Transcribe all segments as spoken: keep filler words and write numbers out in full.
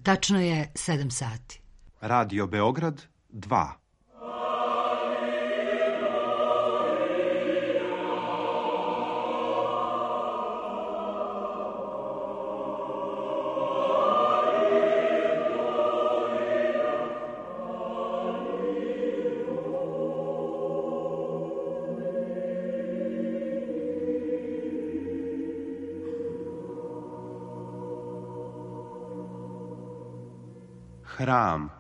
Tačno je sedam sati. Radio Beograd dva. Hram.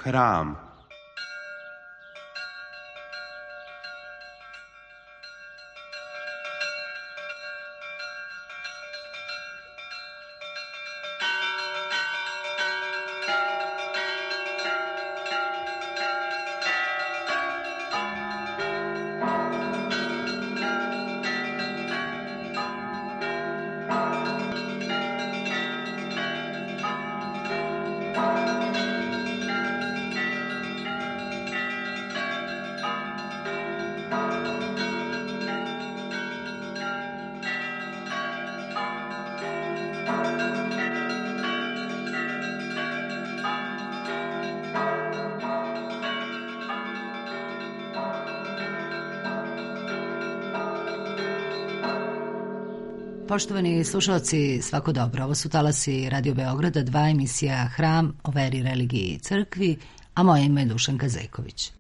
Hram. Poštovani slušalci, svako dobro. Ovo su talasi Radio Beograda, dva emisija Hram o veri, religiji i crkvi, a moje ime je Dušanka Zejković.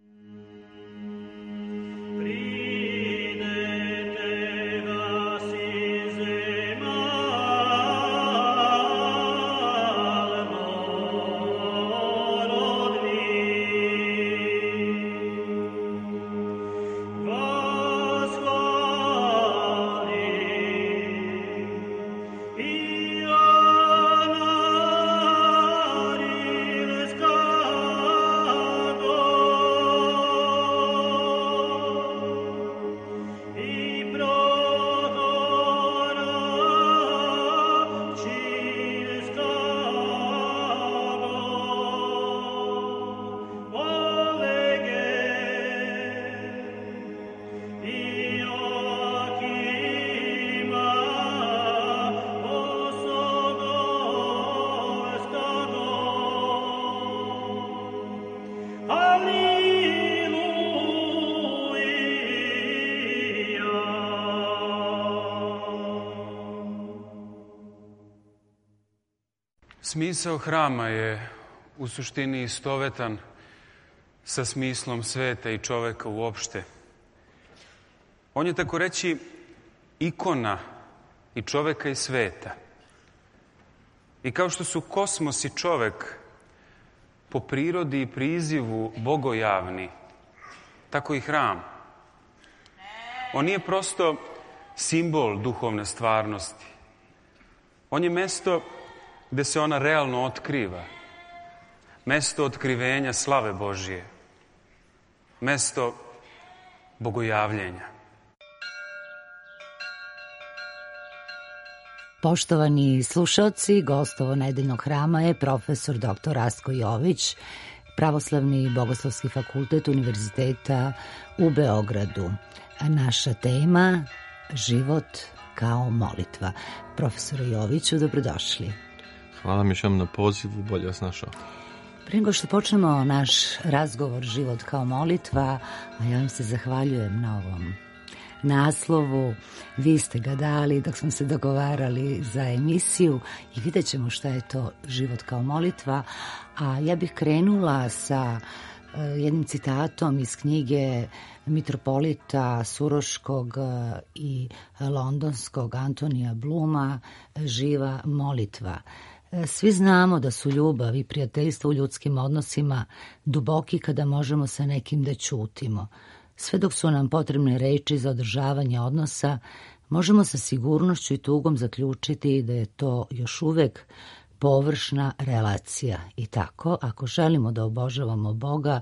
Smisao hrama je u suštini istovetan sa smislom sveta i čoveka uopšte. On je tako reći ikona i čoveka i sveta. I kao što su kosmos i čovek po prirodi i prizivu bogojavni, tako i hram. On nije prosto simbol duhovne stvarnosti. On je mesto gde se ona realno otkriva. Mesto otkrivenja slave Božije. Mesto bogojavljenja. Poštovani slušalci, gost ovo nedeljnog hrama je profesor doktor Rastko Jović, Pravoslavni bogoslovski fakultet Univerziteta u Beogradu. A naša tema, život kao molitva. Profesor Joviću, dobrodošli. Hvala mi šem na pozivu, bolje vas našao. Prije nego što počnemo naš razgovor život kao molitva, a ja vam se zahvaljujem na ovom naslovu. Vi ste ga dali dok smo se dogovarali za emisiju i vidjet ćemo šta je to život kao molitva. A ja bih krenula sa jednim citatom iz knjige mitropolita Suroškog i Londonskog Antonija Bluma Živa molitva. Svi znamo da su ljubav i prijateljstvo u ljudskim odnosima duboki kada možemo sa nekim da ćutimo. Sve dok su nam potrebne reči za održavanje odnosa, možemo sa sigurnošću i tugom zaključiti da je to još uvek površna relacija. I tako, ako želimo da obožavamo Boga,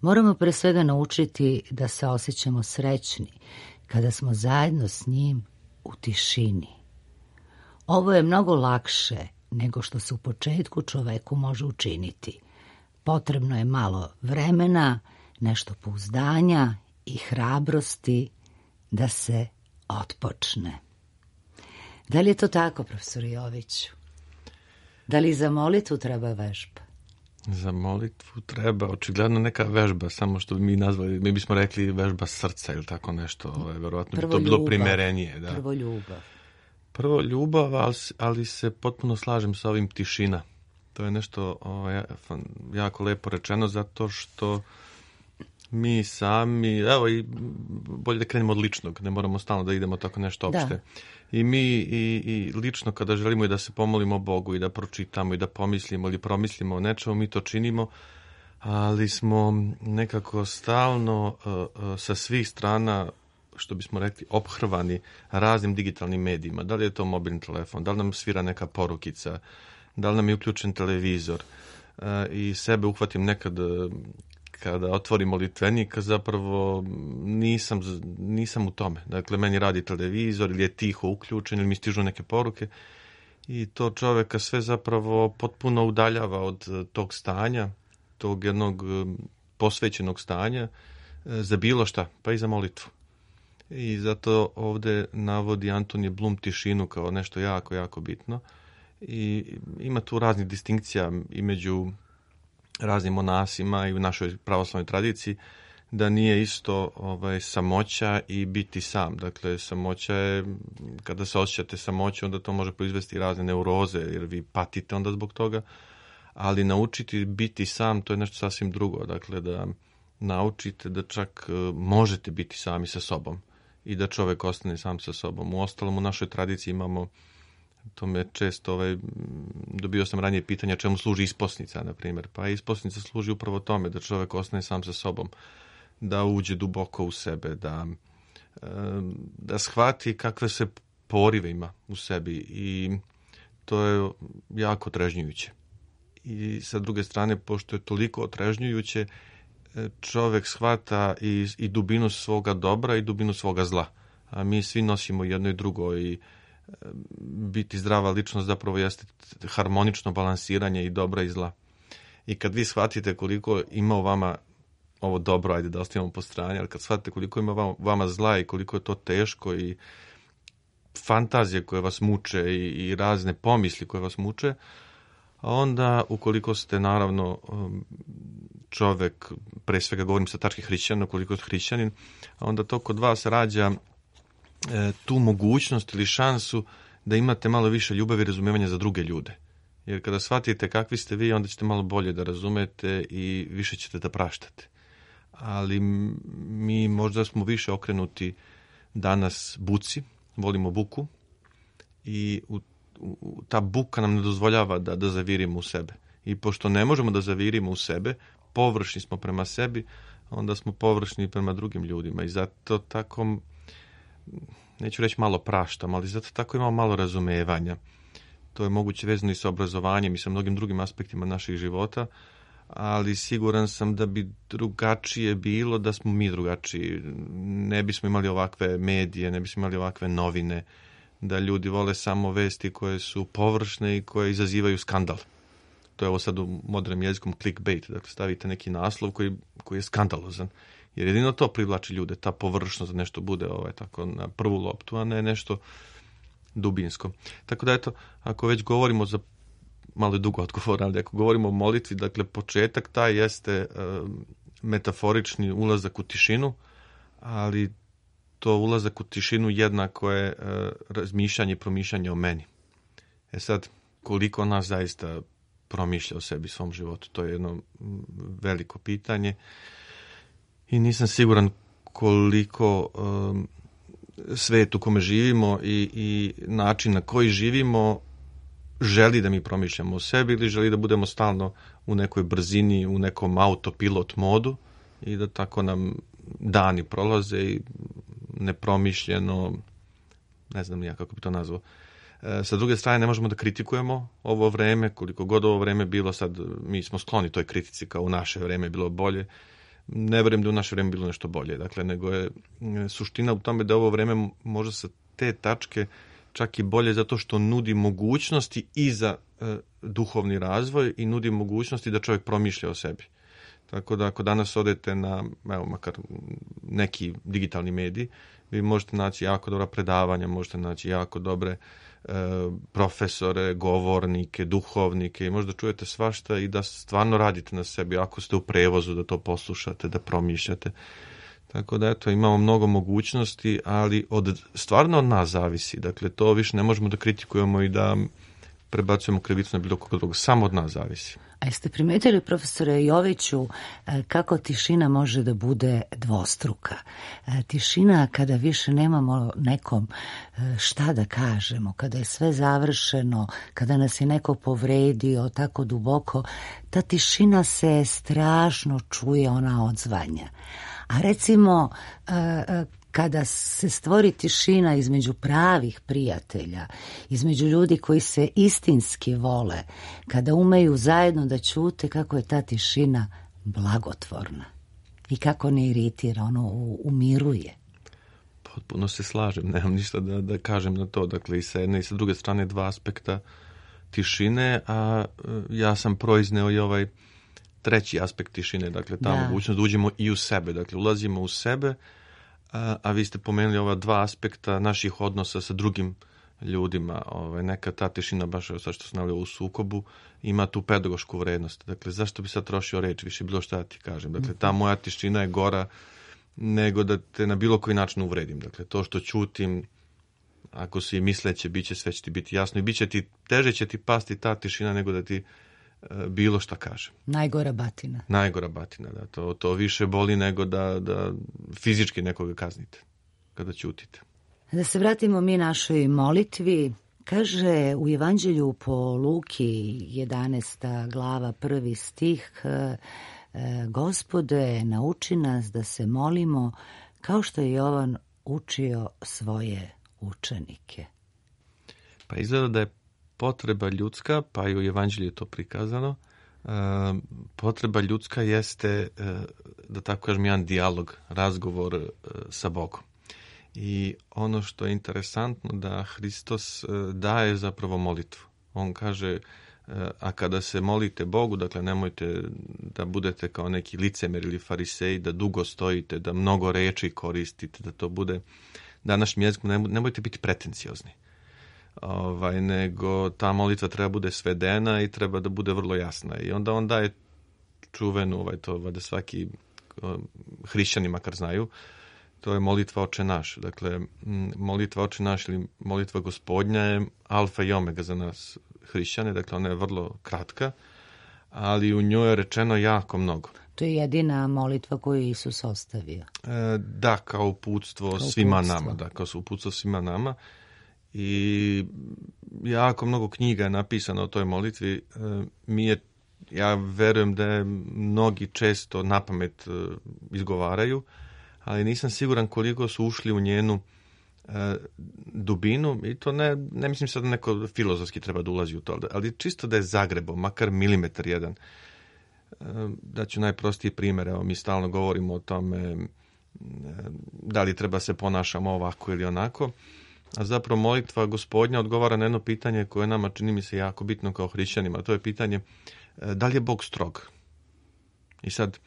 Moramo pre svega naučiti da se osjećamo srećni kada smo zajedno s njim u tišini. Ovo je mnogo lakše nego što se u početku čoveku može učiniti. Potrebno je malo vremena, nešto pouzdanja i hrabrosti da se otpočne. Da li je to tako, profesor Joviću? Da li za molitvu treba vežba? Za molitvu treba očigledno neka vežba, samo što bi mi nazvali, mi bismo rekli vežba srca ili tako nešto, ovaj, verovatno bi to bilo primerenije. Da. Prvo ljubav. Prvo ljubav, ali, ali se potpuno slažem sa ovim tišina. To je nešto ovaj, jako lepo rečeno, zato što mi sami, evo i bolje da krenemo od ličnog, ne moramo stalno da idemo tako nešto opšte. Da. I mi i, i lično kada želimo i da se pomolimo Bogu i da pročitamo i da pomislimo ili promislimo o nečemu, mi to činimo, ali smo nekako stalno uh, uh, sa svih strana, što bismo rekli, ophrvani raznim digitalnim medijima. Da li je to mobilni telefon, da li nam svira neka porukica, da li nam je uključen televizor. Uh, I sebe uhvatim nekad kada otvorim molitvenik, zapravo nisam, nisam u tome. Dakle, meni radi televizor ili je tiho uključen ili mi stižu neke poruke i to čoveka sve zapravo potpuno udaljava od tog stanja, tog jednog posvećenog stanja za bilo šta, pa i za molitvu. I zato ovde navodi Antonije Blum tišinu kao nešto jako, jako bitno. I ima tu raznih distinkcija i među raznim monasima i u našoj pravoslavnoj tradiciji, da nije isto ovaj, samoća i biti sam. Dakle, samoća je, kada se osjećate samoću, onda to može proizvesti razne neuroze, jer vi patite onda zbog toga, ali naučiti biti sam, to je nešto sasvim drugo. Dakle, da naučite da čak možete biti sami sa sobom i da čovek ostane sam sa sobom. U ostalom, u našoj tradiciji imamo, to me često, ovaj, dobio sam ranije pitanja čemu služi isposnica, na primjer. Pa isposnica služi upravo tome, da čovjek ostane sam sa sobom, da uđe duboko u sebe, da, da shvati kakve se porive ima u sebi i to je jako otrežnjujuće. I sa druge strane, pošto je toliko otrežnjujuće, čovjek shvata i, i dubinu svoga dobra i dubinu svoga zla. A mi svi nosimo jedno i drugo i biti zdrava ličnost zapravo jeste harmonično balansiranje i dobra i zla. I kad vi shvatite koliko ima u vama ovo dobro, ajde da ostavimo po strani, ali kad shvatite koliko ima vama, vama zla i koliko je to teško i fantazije koje vas muče i, i razne pomisli koje vas muče, onda ukoliko ste naravno čovek, pre svega govorim sa tačke hrišćana, ukoliko ste hrišćanin, onda to kod vas rađa tu mogućnost ili šansu da imate malo više ljubavi i razumevanja za druge ljude. Jer kada shvatite kakvi ste vi, onda ćete malo bolje da razumete i više ćete da praštate. Ali mi možda smo više okrenuti danas buci, volimo buku i u, u, ta buka nam ne dozvoljava da, da zavirimo u sebe. I pošto ne možemo da zavirimo u sebe, površni smo prema sebi, onda smo površni prema drugim ljudima i zato tako, neću reći malo praštam, ali zato tako imamo malo razumevanja. To je moguće vezano i sa obrazovanjem i sa mnogim drugim aspektima naših života, ali siguran sam da bi drugačije bilo da smo mi drugačiji. Ne bismo imali ovakve medije, ne bismo imali ovakve novine, da ljudi vole samo vesti koje su površne i koje izazivaju skandal. To je ovo sad u modernom jezikom clickbait, dakle stavite neki naslov koji, koji je skandalozan. Jer jedino to privlači ljude, ta površnost da nešto bude ovaj, tako na prvu loptu, a ne nešto dubinsko. Tako da eto, ako već govorimo za malo je dugo odgovor, ali ako govorimo o molitvi, dakle početak taj jeste uh, metaforični ulazak u tišinu, ali to ulazak u tišinu jednako je uh, razmišljanje i promišljanje o meni. E sad, koliko nas zaista promišlja o sebi, svom životu, to je jedno veliko pitanje. I nisam siguran koliko um, svet u kome živimo i, i način na koji živimo želi da mi promišljamo o sebi ili želi da budemo stalno u nekoj brzini, u nekom autopilot modu i da tako nam dani prolaze i nepromišljeno, ne znam nija kako bi to nazvao. E, sa druge strane, ne možemo da kritikujemo ovo vreme, koliko god ovo vreme bilo, sad mi smo skloni toj kritici kao u naše vreme bilo bolje. ne vjerujem da u naše vrijeme bilo nešto bolje. Dakle, nego je suština u tome da ovo vrijeme može sa te tačke čak i bolje zato što nudi mogućnosti i za e, duhovni razvoj i nudi mogućnosti da čovjek promišlja o sebi. Tako da ako danas odete na, evo, makar neki digitalni mediji, vi možete naći jako dobra predavanja, možete naći jako dobre e, profesore, govornike, duhovnike i možda čujete svašta i da stvarno radite na sebi, ako ste u prevozu, da to poslušate, da promišljate. Tako da, eto, imamo mnogo mogućnosti, ali od, stvarno od nas zavisi. Dakle, to više ne možemo da kritikujemo i da prebacujemo krivicu na bilo koga drugog. Samo od nas zavisi. A jeste primetili, profesore Joviću, kako tišina može da bude dvostruka? Tišina kada više nemamo nekom šta da kažemo, kada je sve završeno, kada nas je neko povredio tako duboko, ta tišina se strašno čuje, ona odzvanja. A recimo, kada se stvori tišina između pravih prijatelja, između ljudi koji se istinski vole, kada umeju zajedno da ćute, kako je ta tišina blagotvorna i kako ne iritira, ono umiruje. Potpuno se slažem, nemam ništa da, da kažem na to. Dakle, i sa jedne i sa druge strane dva aspekta tišine, a ja sam proizneo i ovaj treći aspekt tišine, dakle ta da. mogućnost da uđemo i u sebe, dakle ulazimo u sebe, a, a vi ste pomenuli ova dva aspekta naših odnosa sa drugim ljudima. Ovaj, neka ta tišina, baš sad što sam navio u sukobu, ima tu pedagošku vrednost. Dakle, zašto bi sad trošio reč, više bilo šta ti kažem. Dakle, ta moja tišina je gora nego da te na bilo koji način uvredim. Dakle, to što ćutim, ako si misleće, bit će, sve će ti biti jasno i bit će ti, teže će ti pasti ta tišina nego da ti bilo šta kažem. Najgora batina. Najgora batina, da. To, to više boli nego da, da fizički nekoga kaznite kada ćutite. Da se vratimo mi našoj molitvi. Kaže u Evanđelju po Luki, jedanaesta glava, prvi stih, Gospode, nauči nas da se molimo kao što je Jovan učio svoje učenike. Pa izgleda da je potreba ljudska, pa i u Evanđelju je to prikazano, e, potreba ljudska jeste, e, da tako kažem, jedan dijalog, razgovor e, sa Bogom. I ono što je interesantno da Hristos e, daje zapravo molitvu. On kaže, e, a kada se molite Bogu, dakle nemojte da budete kao neki licemer ili fariseji, da dugo stojite, da mnogo reči koristite, da to bude današnjim jezikom, nemojte biti pretenciozni. Ovaj, nego ta molitva treba bude svedena i treba da bude vrlo jasna. I onda on daje čuvenu, ovaj, to vada svaki hrišćani makar znaju, to je molitva Oče naš. Dakle, molitva Oče naš ili molitva Gospodnja je alfa i omega za nas hrišćane, dakle ona je vrlo kratka, ali u njoj je rečeno jako mnogo. To je jedina molitva koju Isus ostavio. E, da, kao uputstvo kao svima uputstvo. nama. Da, kao uputstvo svima nama. I jako mnogo knjiga je napisano o toj molitvi. E, mi je, ja verujem da je mnogi često napamet e, izgovaraju, ali nisam siguran koliko su ušli u njenu e, dubinu. I to ne, ne mislim sad da neko filozofski treba da ulazi u to, ali čisto da je zagrebo, makar milimetar jedan. E, daću najprostiji primjer. Evo, mi stalno govorimo o tome e, da li treba se ponašamo ovako ili onako. A zapravo molitva Gospodnja odgovara na jedno pitanje koje nama čini mi se jako bitno kao hrišćanima. To je pitanje da li je Bog strog? I sad,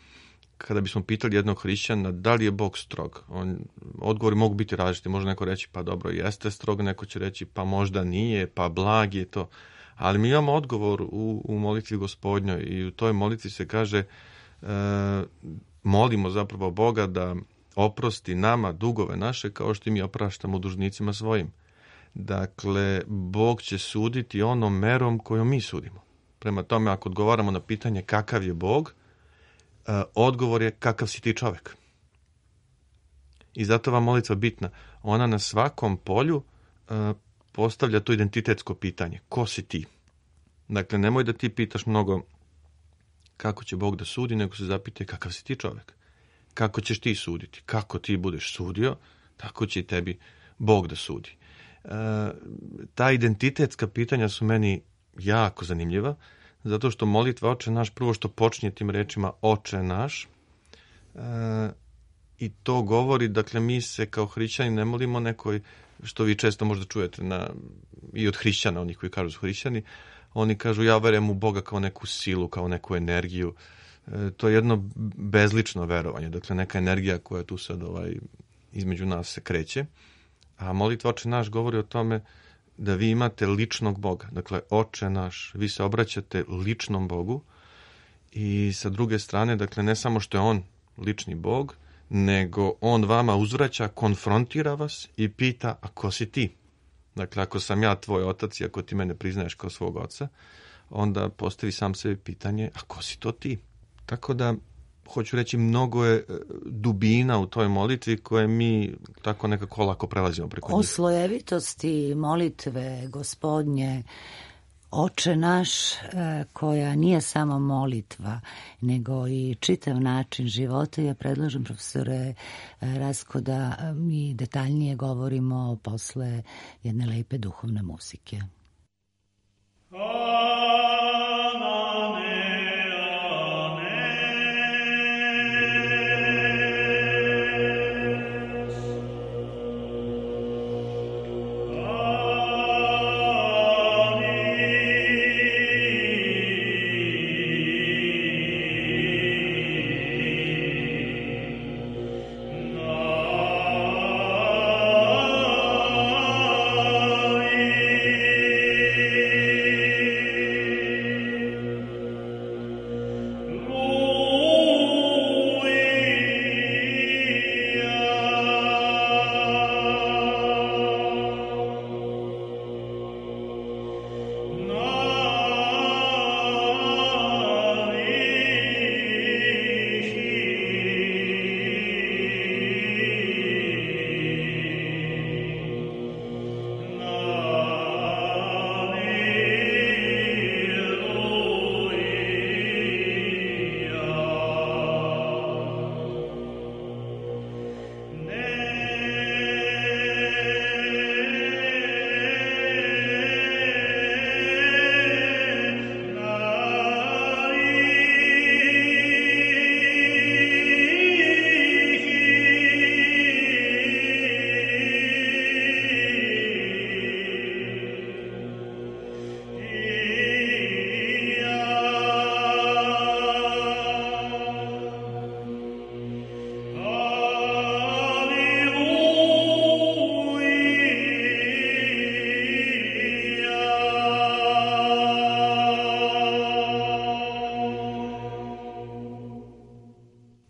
kada bismo pitali jednog hrišćana da li je Bog strog, on, odgovori mogu biti različiti. Može neko reći pa dobro, jeste strog, neko će reći pa možda nije, pa blag je to. Ali mi imamo odgovor u, u molitvi Gospodnjoj i u toj molitvi se kaže e, molimo zapravo Boga da oprosti nama dugove naše kao što mi opraštamo dužnicima svojim. Dakle, Bog će suditi onom merom kojom mi sudimo. Prema tome, ako odgovaramo na pitanje kakav je Bog, eh, odgovor je kakav si ti čovjek. I zato vam molitva bitna. Ona na svakom polju eh, postavlja to identitetsko pitanje. Ko si ti? Dakle, nemoj da ti pitaš mnogo kako će Bog da sudi, nego se zapitaj kakav si ti čovjek. Kako ćeš ti suditi? Kako ti budeš sudio, tako će i tebi Bog da sudi. E, ta identitetska pitanja su meni jako zanimljiva, zato što molitva Oče naš, prvo što počinje tim rečima Oče naš, i to govori, dakle, mi se kao hrišćani ne molimo nekoj, što vi često možda čujete na, i od hrišćana, onih koji kažu su hrišćani, oni kažu ja verujem u Boga kao neku silu, kao neku energiju. E, to je jedno bezlično verovanje, dakle neka energija koja tu sad ovaj, između nas se kreće. A molitva Oče naš govori o tome da vi imate ličnog Boga. Dakle, Oče naš, vi se obraćate ličnom Bogu i sa druge strane, dakle, ne samo što je on lični Bog, nego on vama uzvraća, konfrontira vas i pita, a ko si ti? Dakle, ako sam ja tvoj otac i ako ti mene priznaješ kao svog oca, onda postavi sam sebi pitanje, a ko si to ti? Tako da, hoću reći, mnogo je dubina u toj molitvi koje mi tako nekako lako prelazimo preko njih. O slojevitosti molitve Gospodnje, Oče naš, koja nije samo molitva, nego i čitav način života, ja predlažem, profesore Rasko, da mi detaljnije govorimo posle jedne lepe duhovne muzike.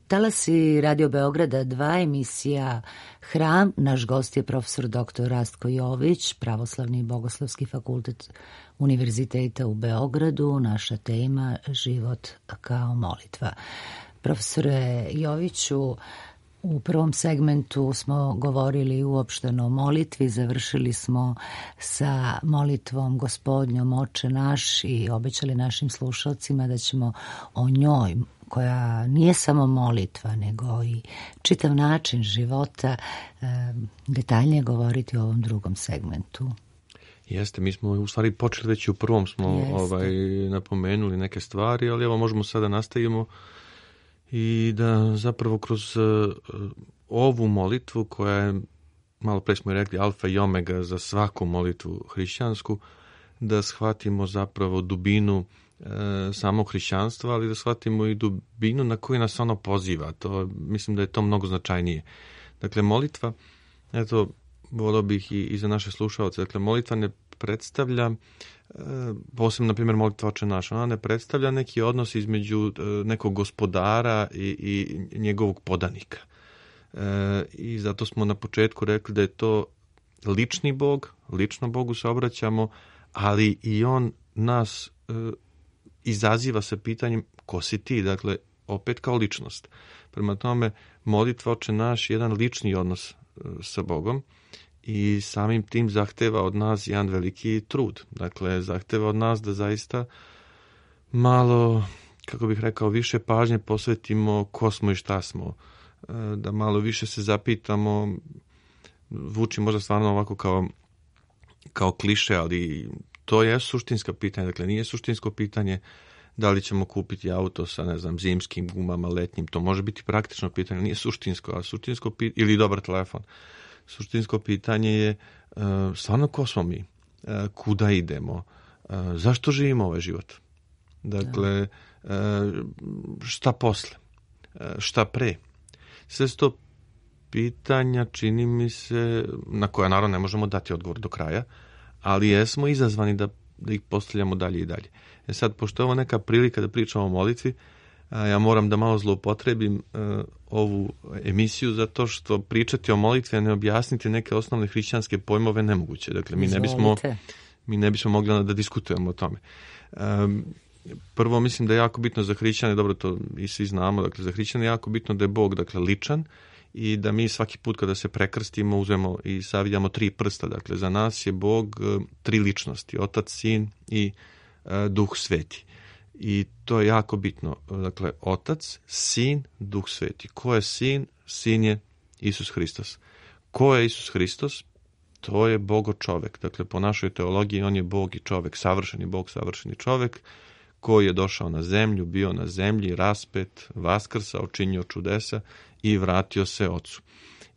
Talasi Radio Beograda dva, emisija Hram. Naš gost je profesor doktor Rastko Jović, Pravoslavni i Bogoslovski fakultet Univerziteta u Beogradu. Naša tema život kao molitva. Profesore Joviću, u prvom segmentu smo govorili uopšteno o molitvi, završili smo sa molitvom Gospodnjom Oče naš i obećali našim slušalcima da ćemo o njoj, koja nije samo molitva, nego i čitav način života, detaljnije govoriti o ovom drugom segmentu. Jeste, mi smo u stvari počeli već u prvom, smo ovaj, napomenuli neke stvari, ali evo možemo sada nastavimo i da zapravo kroz uh, ovu molitvu koja je, malo pre smo i rekli, alfa i omega za svaku molitvu hrišćansku, da shvatimo zapravo dubinu e, samog hrišćanstva, ali da shvatimo i dubinu na koju nas ono poziva. To, mislim da je to mnogo značajnije. Dakle, molitva, eto, volio bih i, i za naše slušalce, dakle, molitva ne predstavlja, e, posebno, na primjer, molitva Oče naš, ona ne predstavlja neki odnos između e, nekog gospodara i, i njegovog podanika. E, I zato smo na početku rekli da je to lični Bog, lično Bogu se obraćamo, ali i on nas e, izaziva sa pitanjem ko si ti, dakle, opet kao ličnost. Prema tome, molitva Oče naš je jedan lični odnos e, sa Bogom i samim tim zahteva od nas jedan veliki trud. Dakle, zahteva od nas da zaista malo, kako bih rekao, više pažnje posvetimo ko smo i šta smo. E, da malo više se zapitamo, zvuči možda stvarno ovako kao kao kliše, ali to je suštinska pitanja. Dakle, nije suštinsko pitanje Da li ćemo kupiti auto sa, ne znam, zimskim gumama, letnjim, to može biti praktično pitanje, nije suštinsko, a suštinsko pitanje, ili dobar telefon. Suštinsko pitanje je uh, stvarno ko smo mi, uh, kuda idemo, uh, zašto živimo ovaj život. Dakle, uh, šta posle, uh, šta pre. Sve sto pitanja, čini mi se, na koja naravno ne možemo dati odgovor do kraja, ali jesmo izazvani da, da ih postavljamo dalje i dalje. E sad, pošto je ovo neka prilika da pričamo o molitvi, a ja moram da malo zloupotrebim uh, ovu emisiju, zato što pričati o molitvi, a ne objasniti neke osnovne hrišćanske pojmove nemoguće. Dakle, mi ne bismo, mi ne bismo mogli da diskutujemo o tome. Um, prvo, mislim da je jako bitno za hrišćane, dobro, to i svi znamo, dakle, za hrišćane je jako bitno da je Bog, dakle, ličan, i da mi svaki put kada se prekrstimo uzmemo i savijamo tri prsta. Dakle, za nas je Bog uh, tri ličnosti, Otac, Sin i uh, Duh Sveti. I to je jako bitno. Dakle, Otac, Sin, Duh Sveti. Ko je Sin? Sin je Isus Hristos. Ko je Isus Hristos? To je Bogo čovek. Dakle, po našoj teologiji on je Bog i čovek, savršeni Bog, savršeni čovek, koji je došao na zemlju, bio na zemlji, raspet, vaskrsao, činio čudesa i vratio se Ocu.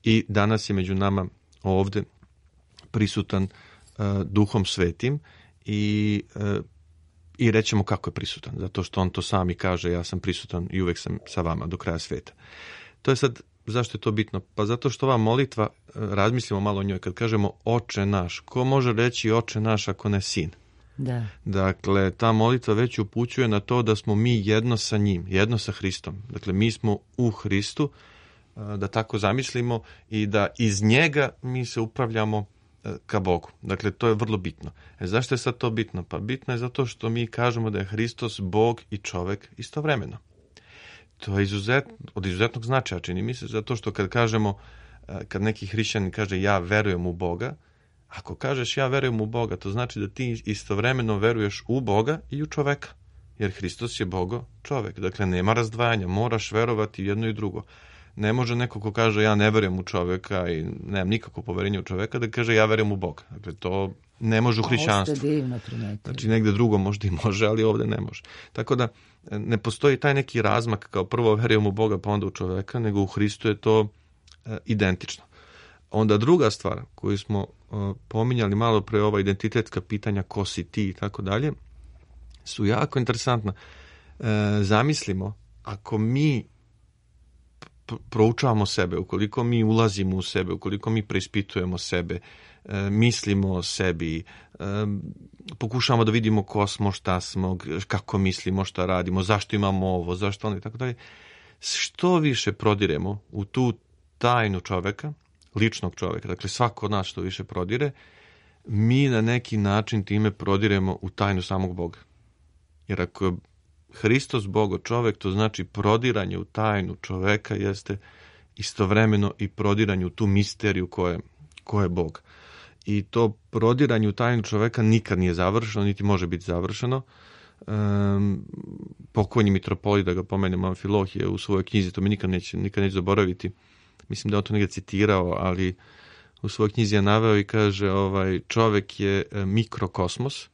I danas je među nama ovde prisutan uh, Duhom Svetim i uh, I rećemo kako je prisutan, zato što on to sami kaže, ja sam prisutan i uvek sam sa vama do kraja sveta. To je sad, zašto je to bitno? Pa zato što ova molitva, razmislimo malo o njoj, kad kažemo Oče naš, ko može reći Oče naš ako ne Sin? Da. Dakle, ta molitva već upućuje na to da smo mi jedno sa njim, jedno sa Hristom. Dakle, mi smo u Hristu, da tako zamislimo, i da iz njega mi se upravljamo ka Bogu. Dakle, to je vrlo bitno. E, zašto je sad to bitno? Pa bitno je zato što mi kažemo da je Hristos Bog i čovek istovremeno. To je izuzet, od izuzetnog značaja, čini mi se, zato što kad kažemo, kad neki hrišćanin kaže ja verujem u Boga, ako kažeš ja verujem u Boga, to znači da ti istovremeno veruješ u Boga i u čoveka. Jer Hristos je Bogo čovek. Dakle, nema razdvajanja, moraš verovati jedno i drugo. Ne može neko ko kaže ja ne verujem u čoveka i nemam nikako poverenje u čoveka da kaže ja verujem u Boga. Dakle, to ne može u hrišćanstvu. Ovo ste divno primetili. Znači, negde drugo možda i može, ali ovde ne može. Tako da, ne postoji taj neki razmak kao prvo verujem u Boga pa onda u čoveka, nego u Hristu je to e, identično. Onda druga stvar koju smo e, pominjali malo pre, ova identitetska pitanja ko si ti i tako dalje, su jako interesantna. E, zamislimo, ako mi proučavamo sebe, ukoliko mi ulazimo u sebe, ukoliko mi preispitujemo sebe, e, mislimo o sebi, e, pokušavamo da vidimo ko smo, šta smo, kako mislimo, šta radimo, zašto imamo ovo, zašto ono i tako dalje. Što više prodiremo u tu tajnu čoveka, ličnog čoveka, dakle svako od nas što više prodire, mi na neki način time prodiremo u tajnu samog Boga. Jer ako je Hristos Bogo čovek, to znači prodiranje u tajnu čoveka jeste istovremeno i prodiranje u tu misteriju ko je, ko je Bog. I to prodiranje u tajnu čoveka nikad nije završeno, niti može biti završeno. Um, pokojni mitropolit, da ga pomenem, Amfilohije u svojoj knjizi, to mi nikad neće, nikad neće zaboraviti, mislim da je on to negdje citirao, ali u svojoj knjizi je naveo i kaže ovaj, čovek je mikrokosmos.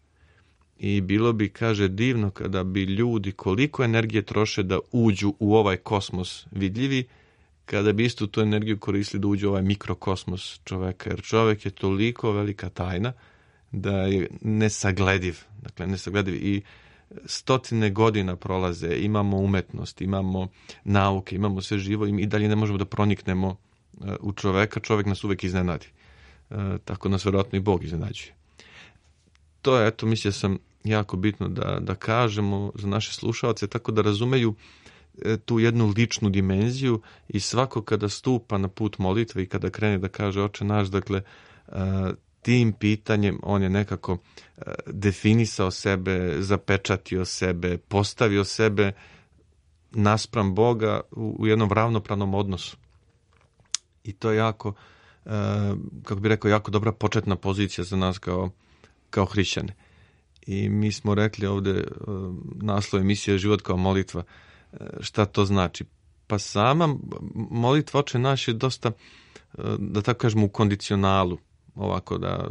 I bilo bi, kaže, divno kada bi ljudi koliko energije troše da uđu u ovaj kosmos vidljivi, kada bi istu tu energiju koristili da uđu u ovaj mikrokosmos čoveka. Jer čovek je toliko velika tajna da je nesaglediv. Dakle, nesaglediv. I stotine godina prolaze, imamo umetnost, imamo nauke, imamo sve živo i dalje ne možemo da proniknemo u čoveka. Čovek nas uvek iznenadi. Tako nas vjerojatno i Bog iznenađuje. To je, eto, mislim sam jako bitno da, da kažemo za naše slušalce, tako da razumeju e, tu jednu ličnu dimenziju i svako kada stupa na put molitve i kada krene da kaže Oče naš, dakle, e, tim pitanjem on je nekako e, definisao sebe, zapečatio sebe, postavio sebe naspram Boga u, u jednom ravnopravnom odnosu. I to je jako, e, kako bih rekao, jako dobra početna pozicija za nas kao kao hrišćane. I mi smo rekli ovde naslov emisije Život kao molitva. Šta to znači? Pa sama molitva Oče naš je dosta, da tako kažemo, u kondicionalu. Ovako da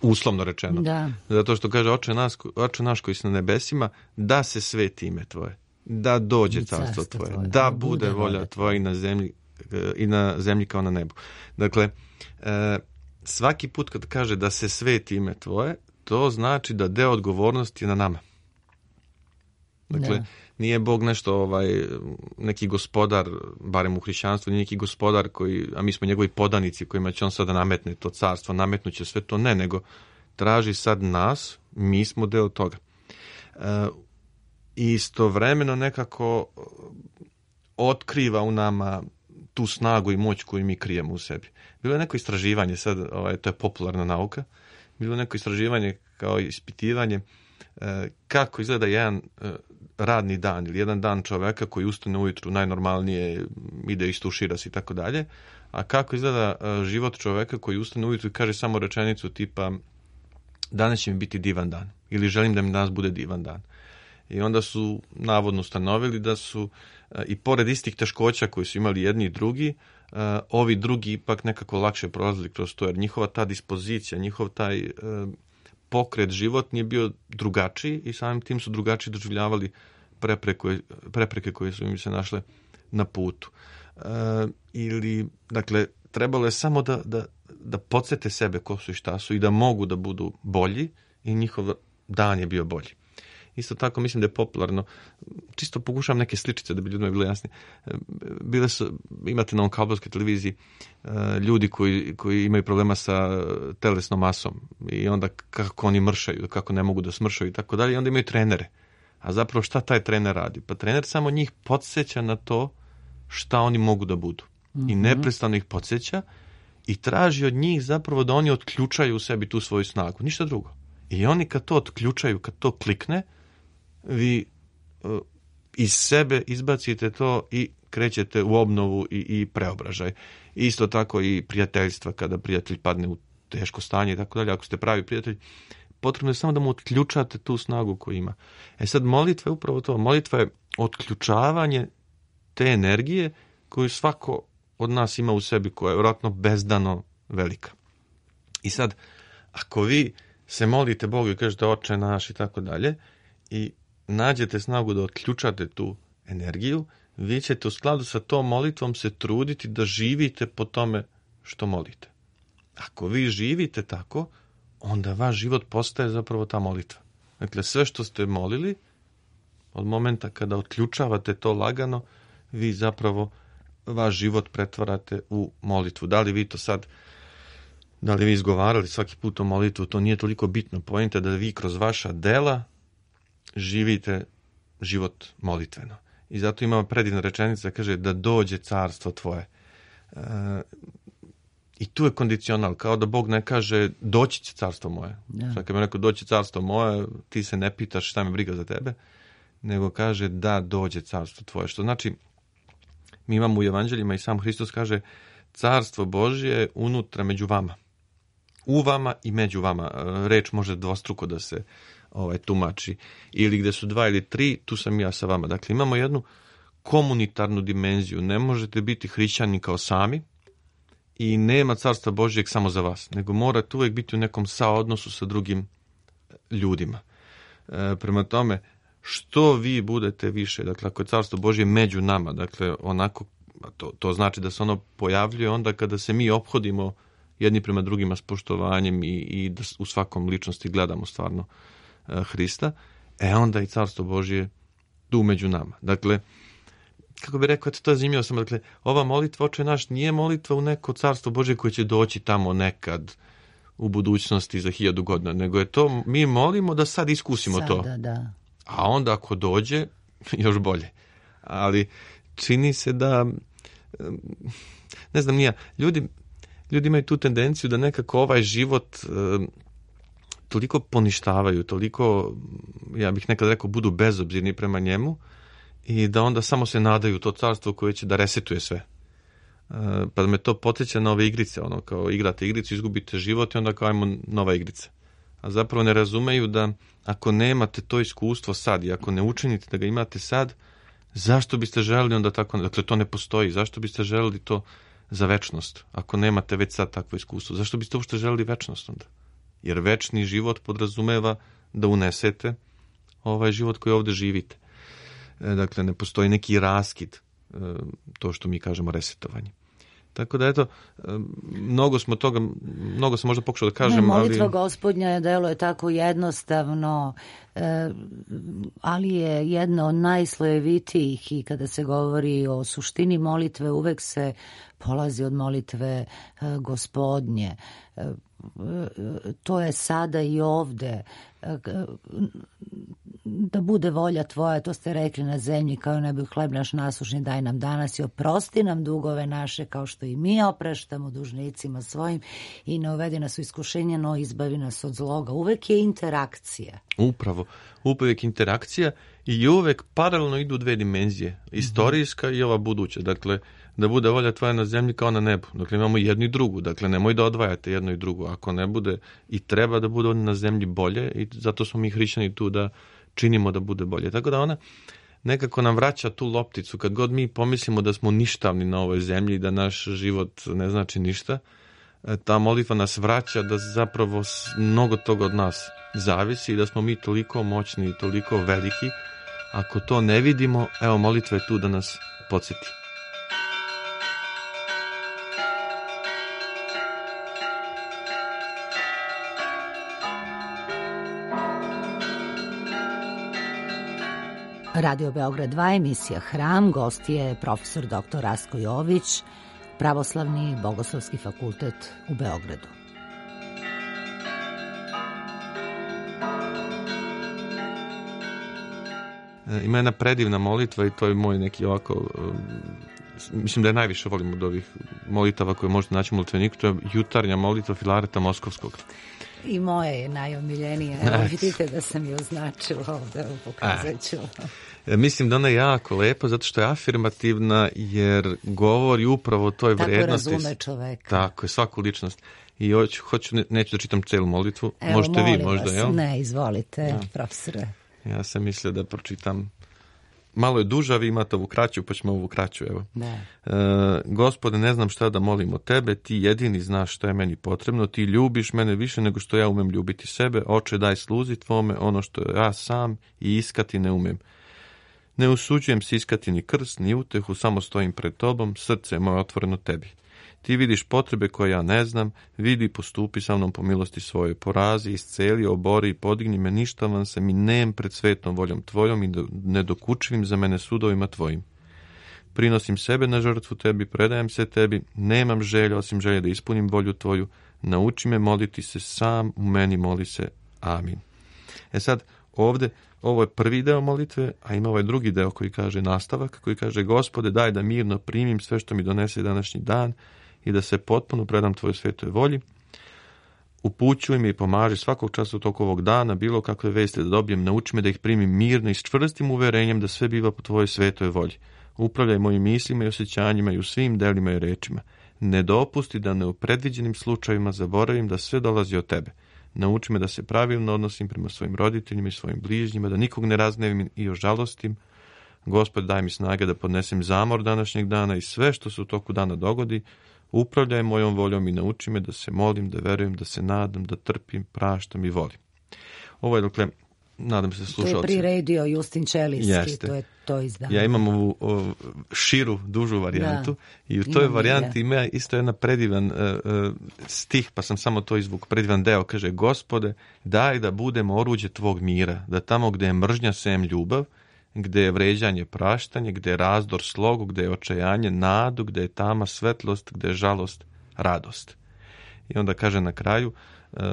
uslovno rečeno. Da. Zato što kaže oče, nas, oče naš koji si na nebesima, da se sveti ime tvoje, da dođe I carstvo carstvo tvoje, tvoje, da da bude bude volja volja tvoja i na zemlji, i na zemlji kao na nebu. Dakle, e, svaki put kad kaže da se sveti ime tvoje, to znači da deo odgovornosti je na nama. Dakle, Da. nije Bog nešto, ovaj, neki gospodar, barem u hrišćanstvu, nije neki gospodar koji, a mi smo njegovi podanici kojima će on sada nametne to carstvo, nametnuće sve to, ne, nego traži sad nas, mi smo deo toga. E, istovremeno nekako otkriva u nama tu snagu i moć koju mi krijemo u sebi. Bilo je neko istraživanje, sad ovaj, to je popularna nauka, bilo je neko istraživanje kao ispitivanje e, kako izgleda jedan e, radni dan ili jedan dan čoveka koji ustane ujutru najnormalnije, ide istušira se i tako dalje, a kako izgleda e, život čoveka koji ustane ujutru i kaže samo rečenicu tipa danas će mi biti divan dan ili želim da mi danas bude divan dan. I onda su navodno ustanovili da su e, i pored istih teškoća koji su imali jedni i drugi, e, ovi drugi ipak nekako lakše prolazili kroz to, jer njihova ta dispozicija, njihov taj e, pokret životni je bio drugačiji i samim tim su drugačije doživljavali prepreke, prepreke koje su im se našle na putu. E, ili, dakle, trebalo je samo da, da, da podsjete sebe ko su i šta su i da mogu da budu bolji i njihov dan je bio bolji. Isto tako mislim da je popularno, čisto pokušavam neke sličice da bi ljudima bilo jasnije. Bile su, imate na ovom kablovskoj televiziji ljudi koji, koji imaju problema sa telesnom masom i onda kako oni mršaju, kako ne mogu da smršaju i tako dalje, i onda imaju trenere. A zapravo šta taj trener radi? Pa trener samo njih podsjeća na to šta oni mogu da budu. Mm-hmm. I neprestano ih podsjeća i traži od njih zapravo da oni otključaju u sebi tu svoju snagu. Ništa drugo. I oni kad to otključaju, kad to klikne, vi uh, iz sebe izbacite to i krećete u obnovu i, i preobražaj. Isto tako i prijateljstva, kada prijatelj padne u teško stanje i tako dalje. Ako ste pravi prijatelj, potrebno je samo da mu otključate tu snagu koju ima. E sad, molitva je upravo to. Molitva je otključavanje te energije koju svako od nas ima u sebi, koja je vjerojatno bezdano velika. I sad, ako vi se molite Bogu i kažete oče naš i tako dalje i nađete snagu da otključate tu energiju, vi ćete u skladu sa tom molitvom se truditi da živite po tome što molite. Ako vi živite tako, onda vaš život postaje zapravo ta molitva. Dakle, sve što ste molili, od momenta kada otključavate to lagano, vi zapravo vaš život pretvarate u molitvu. Da li vi to sad, da li vi izgovarali svaki put o molitvu, to nije toliko bitno. Poenta da vi kroz vaša dela živite život molitveno. I zato ima predivna rečenica, kaže da dođe carstvo tvoje. E, I tu je kondicional, kao da Bog ne kaže doći će carstvo moje. Ja. Sad kad mi rekao doći carstvo moje, ti se ne pitaš šta me briga za tebe, nego kaže da dođe carstvo tvoje. Što znači, mi imamo u evanđeljima i sam Hristos kaže carstvo Božje je unutra među vama. U vama i među vama. Reč može dvostruko da se ovaj, tumači. Ili gde su dva ili tri, tu sam ja sa vama. Dakle, imamo jednu komunitarnu dimenziju. Ne možete biti hrišćani kao sami i nema carstva Božjeg samo za vas, nego morate uvijek biti u nekom saodnosu sa drugim ljudima. E, prema tome, što vi budete više, dakle, ako je carstvo Božje među nama, dakle, onako, to, to znači da se ono pojavljuje onda kada se mi ophodimo jedni prema drugima s poštovanjem i, i da u svakom ličnosti gledamo stvarno e, Hrista, e onda i carstvo Božje tu među nama. Dakle, kako bih rekao, to je zanimljivo samo, dakle, ova molitva oče naš nije molitva u neko carstvo Božje koje će doći tamo nekad u budućnosti za hiljadu godina, nego je to, mi molimo da sad iskusimo Sada, to. Da. A onda ako dođe, još bolje. Ali čini se da, ne znam, nije, ljudi, ljudi imaju tu tendenciju da nekako ovaj život um, toliko poništavaju, toliko, ja bih nekad rekao, budu bezobzirni prema njemu i da onda samo se nadaju to carstvo koje će da resetuje sve. Uh, pa me to podsjeća na ove igrice, ono kao igrate igricu, izgubite život i onda kao ajmo nova igrica. A zapravo ne razumeju da ako nemate to iskustvo sad i ako ne učinite da ga imate sad, zašto biste želeli onda tako, dakle to ne postoji, zašto biste želeli to za večnost, ako nemate već sad takvo iskustvo, zašto biste uopšte želeli večnost onda? Jer večni život podrazumeva da unesete ovaj život koji ovdje živite. Dakle, ne postoji neki raskid, to što mi kažemo resetovanje. Tako da, eto, mnogo smo toga, mnogo sam možda pokušao da kažem, ne, molitva ali... Gospodnja delo je tako jednostavno, ali je jedno od najslojevitijih i kada se govori o suštini molitve, uvek se polazi od molitve Gospodnje. To je sada i ovde. Da bude volja tvoja, to ste rekli, na zemlji kao i nebi, hleb naš nasušni daj nam danas i oprosti nam dugove naše kao što i mi opraštamo dužnicima svojim i ne uvedi nas u iskušenje, no izbavi nas od zloga. Uvek je interakcija. Upravo, uvek interakcija i uvek paralelno idu dve dimenzije, istorijska mm-hmm. i ova buduća. Dakle, da bude volja tvoja na zemlji kao na nebu. Dakle, imamo jednu i drugu. Dakle, nemoj da odvajate jedno i drugo. Ako ne bude, i treba da bude na zemlji bolje, i zato smo mi hrišćani tu da činimo da bude bolje. Tako da ona nekako nam vraća tu lopticu. Kad god mi pomislimo da smo ništavni na ovoj zemlji, da naš život ne znači ništa, ta molitva nas vraća da zapravo mnogo toga od nas zavisi i da smo mi toliko moćni i toliko veliki. Ako to ne vidimo, evo, molitva je tu da nas podsjeti. Radio Beograd dva, emisija Hram, gost je profesor doktor Rastko Jović, Pravoslavni bogoslovski fakultet u Beogradu. Ima jedna predivna molitva i to je moj neki ovako, mislim da je najviše volim od ovih molitava koje možete naći u molitveniku, to je jutarnja molitva Filareta Moskovskog. I moja je najomiljenija. Evo, vidite da sam je označila ovdje, pokazat ću. E, mislim da ona je jako lepa zato što je afirmativna jer govori upravo o toj tako vrijednosti. Tako razume čoveka. Tako je, svaku ličnost. I hoću, hoću neću da čitam celu molitvu. Evo, možete vi možda, vas. Jel? Ne, izvolite, ja. profesore. Ja sam mislio da pročitam. Malo je duža, vi imate ovu kraću, pa ćemo ovu kraću, evo. Da. E, Gospode, ne znam šta da molim od tebe, ti jedini znaš šta je meni potrebno, ti ljubiš mene više nego što ja umem ljubiti sebe, oče daj sluzi tvome ono što ja sam i iskati ne umem. Ne usuđujem se iskati ni krst, ni utehu, samo stojim pred tobom, srce je moje otvoreno tebi. Ti vidiš potrebe koje ja ne znam, vidi, postupi sa mnom po milosti svoje, porazi, isceli, obori i podigni me, ništavan sam i nem pred svetom voljom tvojom i nedokučivim za mene sudovima tvojim. Prinosim sebe na žrtvu tebi, predajem se tebi, nemam želje osim želje da ispunim volju tvoju, nauči me moliti se sam, u meni moli se. Amin. E sad, ovdje, ovo je prvi deo molitve, a ima ovaj drugi deo koji kaže nastavak, koji kaže Gospode, daj da mirno primim sve što mi donese današnji dan, i da se potpuno predam tvojoj svetoj volji. Upućuj me i pomaži svakog časa u toku ovog dana, bilo kakve vesti da dobijem, nauči me da ih primim mirno i s čvrstim uverenjem da sve biva po tvojoj svetoj volji. Upravljaj mojim mislima i osjećanjima i u svim delima i rečima. Ne dopusti da ne u predviđenim slučajevima zaboravim da sve dolazi od tebe. Nauči me da se pravilno odnosim prema svojim roditeljima i svojim bližnjima, da nikog ne raznevim i ožalostim. Gospod, daj mi snage da podnesem zamor današnjeg dana i sve što se u toku dana dogodi. Upravljaj mojom voljom i nauči me da se molim, da verujem, da se nadam, da trpim, praštam i volim. Ovo je, dakle, nadam se slušalci. To je priredio Justin Čelijski, Jeste. to je to izdanje. Ja imam ovu o, širu, dužu varijantu da, i u toj varijanti ja. ima isto jedan predivan uh, uh, stih, pa sam samo to izvuk, predivan deo, kaže Gospode, daj da budemo oruđe tvog mira, da tamo gde je mržnja sem ljubav, gde je vređanje praštanje, gde je razdor slogu, gde je očajanje nadu, gde je tama svetlost, gde je žalost radost. I onda kaže na kraju,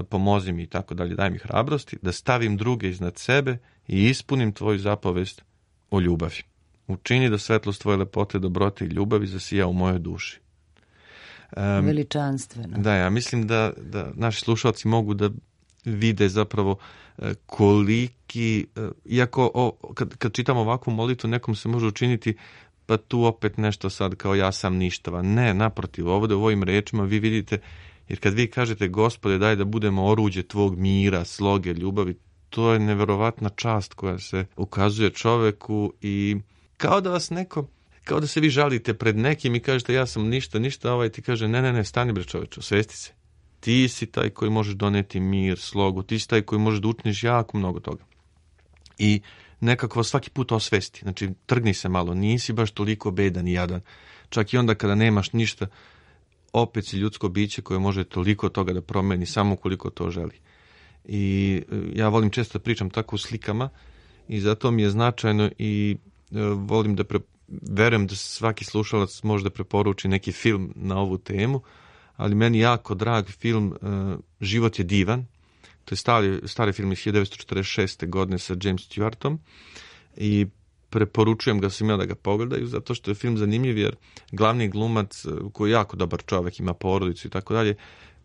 pomozi mi i tako dalje, daj mi hrabrosti, da stavim druge iznad sebe i ispunim tvoju zapovest o ljubavi. Učini da svetlost tvoje lepote, dobrote i ljubavi zasija u mojoj duši. Um, Veličanstveno. Da, ja mislim da, da naši slušalci mogu da vide zapravo koliki, iako o, kad, kad čitamo ovakvu molitvu, nekom se može učiniti pa tu opet nešto sad kao ja sam ništava. Ne, naprotiv, ovdje u ovim rečima vi vidite, jer kad vi kažete Gospode daj da budemo oruđe tvog mira, sloge, ljubavi, to je neverovatna čast koja se ukazuje čoveku i kao da vas neko, kao da se vi žalite pred nekim i kažete ja sam ništa, ništa, ovaj ti kaže ne, ne, ne, stani bre čoveče, osvesti se. ti si taj koji možeš doneti mir, slogu, ti si taj koji možeš da učiniš jako mnogo toga. I nekako svaki put osvesti, znači trgni se malo, nisi baš toliko bedan i jadan. Čak i onda kada nemaš ništa, opet si ljudsko biće koje može toliko toga da promeni, samo koliko to želi. I ja volim često da pričam tako u slikama i zato mi je značajno i volim da pre, verujem da svaki slušalac može da preporuči neki film na ovu temu, ali meni jako drag film Život je divan. To je stari, stari film iz hiljadu devetsto četrdeset šeste. godine sa James Stewartom i preporučujem ga svima da ga pogledaju zato što je film zanimljiv jer glavni glumac koji je jako dobar čovek, ima porodicu i tako dalje,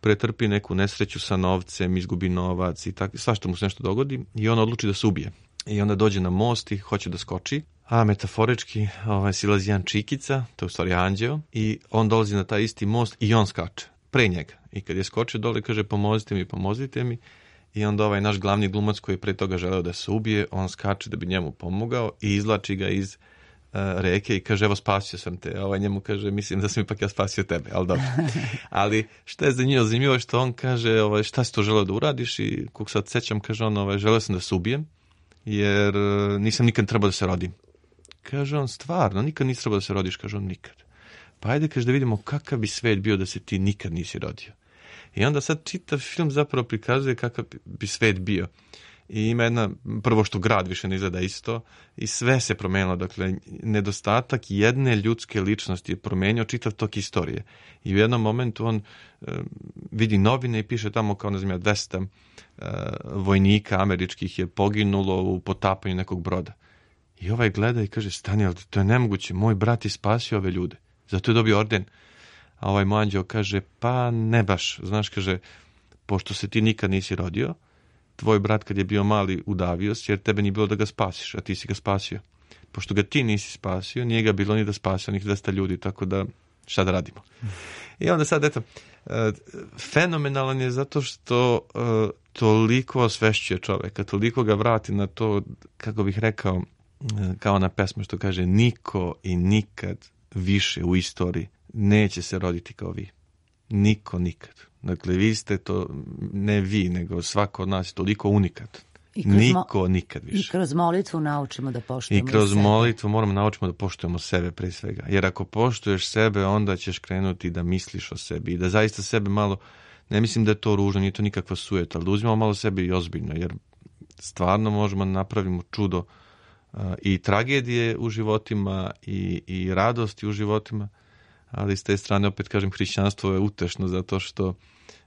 pretrpi neku nesreću sa novcem, izgubi novac i tako, svašta mu se nešto dogodi i on odluči da se ubije. I onda dođe na most i hoće da skoči, a metaforički ovaj, silazi jedan čikica, to je u stvari anđeo, i on dolazi na taj isti most i on skače pre njega. I kad je skočio dole kaže pomozite mi, pomozite mi. I onda ovaj naš glavni glumac koji je pre toga želeo da se ubije, on skače da bi njemu pomogao i izvlači ga iz uh, reke i kaže evo spasio sam te. A ovaj njemu kaže mislim da sam ipak ja spasio tebe, ali dobro. Ali šta je za njih zanimljivo što on kaže ovaj, šta si to želeo da uradiš i kog sad sećam kaže on ovaj, želeo sam da se ubijem jer uh, nisam nikad trebao da se rodim. Kaže on stvarno, nikad nisi trebao da se rodiš, kaže on nikad. Pa ajde kaže da vidimo kakav bi svet bio da se ti nikad nisi rodio. I onda sad čitav film zapravo prikazuje kakav bi svet bio. I ima jedna, prvo što grad više ne izgleda isto i sve se promenilo. Dakle, nedostatak jedne ljudske ličnosti je promenio čitav tok istorije. I u jednom momentu on e, vidi novine i piše tamo kao, ne znam ja, dvesta e, vojnika američkih je poginulo u potapanju nekog broda. I ovaj gleda i kaže, stani, ali to je nemoguće, moj brat je spasio ove ljude. Zato je dobio orden. A ovaj mu anđeo kaže, pa ne baš, znaš, kaže, pošto se ti nikad nisi rodio, tvoj brat kad je bio mali udavio se jer tebe nije bilo da ga spasiš, a ti si ga spasio. Pošto ga ti nisi spasio, nije ga bilo ni da spasio onih dvesta ljudi, tako da šta da radimo. I onda sad, eto, fenomenalan je zato što uh, toliko osvešćuje čoveka, toliko ga vrati na to, kako bih rekao, kao na pesmu što kaže, niko i nikad više u istoriji neće se roditi kao vi. Niko nikad. Dakle, vi ste to, ne vi, nego svako od nas je toliko unikat. Niko mo- nikad više. I kroz molitvu naučimo da poštujemo I kroz sebe. molitvu moramo naučimo da poštujemo sebe pre svega. Jer ako poštuješ sebe, onda ćeš krenuti da misliš o sebi i da zaista sebe malo, ne mislim da je to ružno, nije to nikakva sujeta, ali da uzmemo malo sebe i ozbiljno, jer stvarno možemo da napravimo čudo uh, i tragedije u životima i, i radosti u životima. Ali s te strane, opet kažem, hrišćanstvo je utešno zato što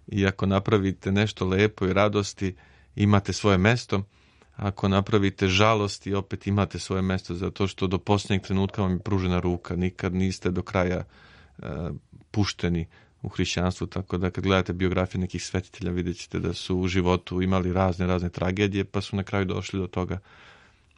i ako napravite nešto lepo i radosti, imate svoje mesto. Ako napravite žalosti, opet imate svoje mesto zato što do posljednjeg trenutka vam je pružena ruka. Nikad niste do kraja uh, pušteni u hrišćanstvu. Tako da kad gledate biografije nekih svetitelja, vidjet ćete da su u životu imali razne, razne tragedije, pa su na kraju došli do toga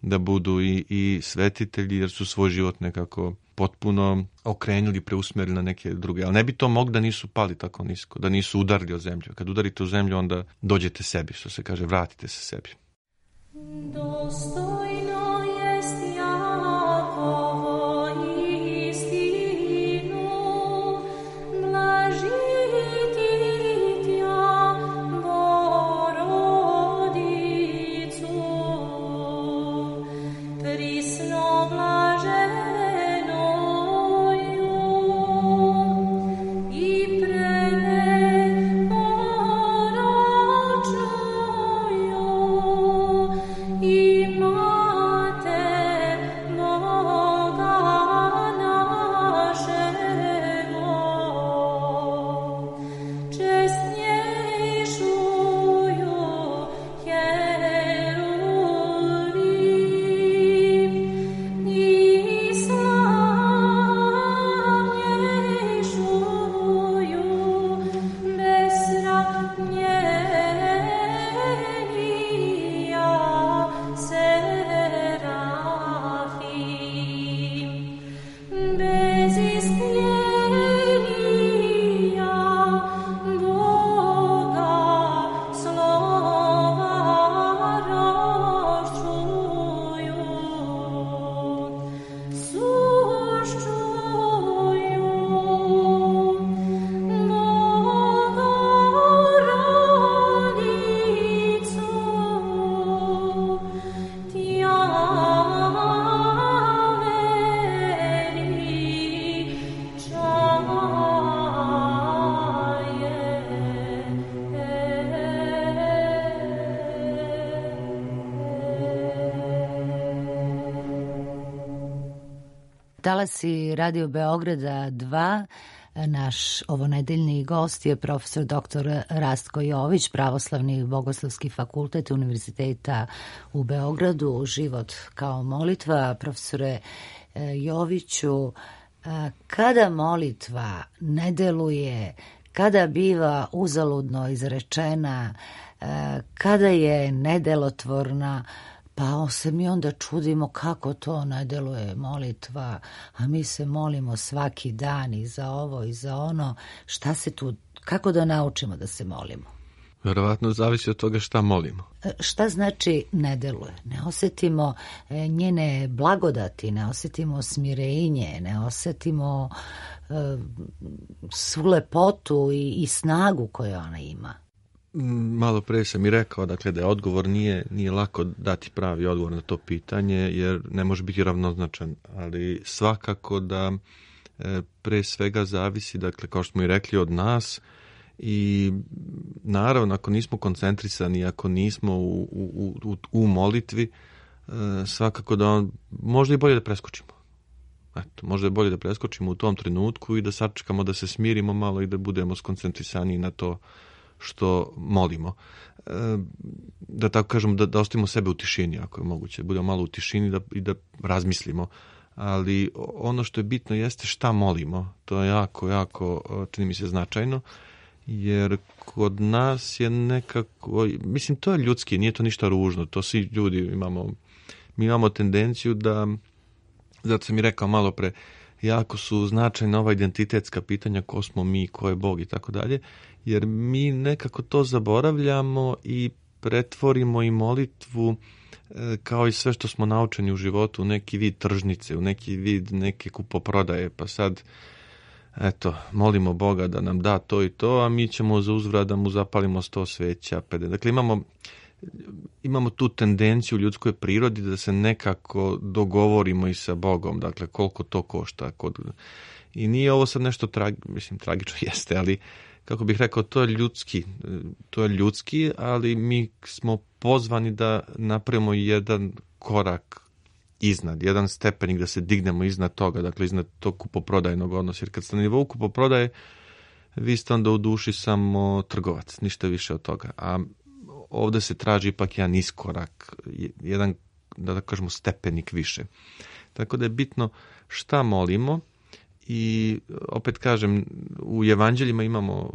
da budu i, i svetitelji jer su svoj život nekako potpuno okrenuli, preusmerili na neke druge. Ali ne bi to mogli da nisu pali tako nisko, da nisu udarili o zemlju. Kad udarite u zemlju, onda dođete sebi, što se kaže, vratite se sebi. Dostojno jest Jakovo istinu, blažiti tja Borodicu, prisno blaženoju i preporočnoju i Talasi Radio Beograda dva, naš ovonedeljni gost je profesor doktor Rastko Jović, Pravoslavni bogoslovski fakultet Univerziteta u Beogradu, Život kao molitva. Profesore Joviću, kada molitva ne deluje, kada biva uzaludno izrečena, kada je nedelotvorna, pa se mi onda čudimo kako to ne deluje molitva, a mi se molimo svaki dan i za ovo i za ono. Šta se tu, kako da naučimo da se molimo? Verovatno zavisi od toga šta molimo. Šta znači ne deluje? Ne osetimo njene blagodati, ne osetimo smirenje, ne osetimo uh, svu lepotu i, i snagu koju ona ima. Malo pre sam i rekao, dakle, da je odgovor nije, nije lako dati pravi odgovor na to pitanje, jer ne može biti ravnoznačan, ali svakako da e, pre svega zavisi, dakle, kao što smo i rekli, od nas. I naravno, ako nismo koncentrisani, ako nismo u, u, u, u molitvi, e, svakako da on, možda i bolje da preskočimo. Eto, možda je bolje da preskočimo u tom trenutku i da sačekamo, da se smirimo malo i da budemo skoncentrisani na to što molimo. E, da tako kažemo, da, da ostavimo sebe u tišini, ako je moguće. Da budemo malo u tišini da, i da razmislimo. Ali ono što je bitno jeste šta molimo. To je jako, jako, čini mi se, značajno. Jer kod nas je nekako, mislim, to je ljudski, nije to ništa ružno, to svi ljudi imamo, mi imamo tendenciju da, zato sam i rekao malo pre, jako su značajna ova identitetska pitanja, ko smo mi, ko je Bog i tako dalje, jer mi nekako to zaboravljamo i pretvorimo i molitvu kao i sve što smo naučeni u životu u neki vid tržnice, u neki vid neke kupoprodaje, pa sad eto, molimo Boga da nam da to i to, a mi ćemo za uzvrat da mu zapalimo sto sveća. Dakle, imamo, imamo tu tendenciju u ljudskoj prirodi da se nekako dogovorimo i sa Bogom, dakle, koliko to košta. Kod... I nije ovo sad nešto tragi, mislim, tragično jeste, ali kako bih rekao, to je ljudski, to je ljudski, ali mi smo pozvani da napravimo jedan korak iznad, jedan stepenik, da se dignemo iznad toga, dakle iznad tog kupoprodajnog odnosa. Jer kad ste na nivou kupoprodaje, vi ste onda u duši samo trgovac, ništa više od toga. A ovdje se traži ipak jedan iskorak, jedan, da kažemo, stepenik više. Tako da je bitno šta molimo i opet kažem, u evanđeljima imamo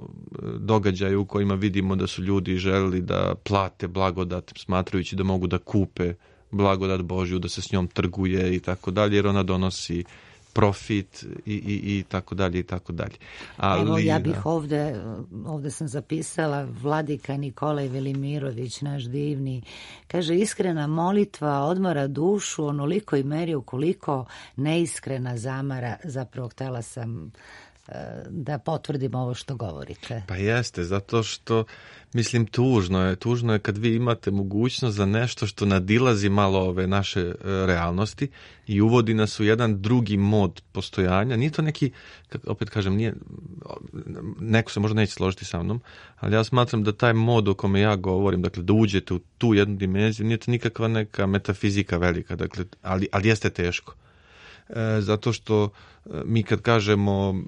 događaje u kojima vidimo da su ljudi želeli da plate blagodat, smatrajući da mogu da kupe blagodat Božju, da se s njom trguje i tako dalje, jer ona donosi profit i, i, i tako dalje i tako dalje. Ali, evo, ja bih ovde, ovde sam zapisala, vladika Nikolaj Velimirović, naš divni, kaže, iskrena molitva odmara dušu onoliko i meri ukoliko neiskrena zamara. Zapravo htela sam da potvrdim ovo što govorite. Pa jeste, zato što, mislim, tužno je, tužno je kad vi imate mogućnost za nešto što nadilazi malo ove naše realnosti i uvodi nas u jedan drugi mod postojanja. Nije to neki, opet kažem, nije, neko se možda neće složiti sa mnom, ali ja smatram da taj mod o kome ja govorim, dakle, da uđete u tu jednu dimenziju, nije to nikakva neka metafizika velika, dakle, ali, ali jeste teško. E, zato što mi kad kažemo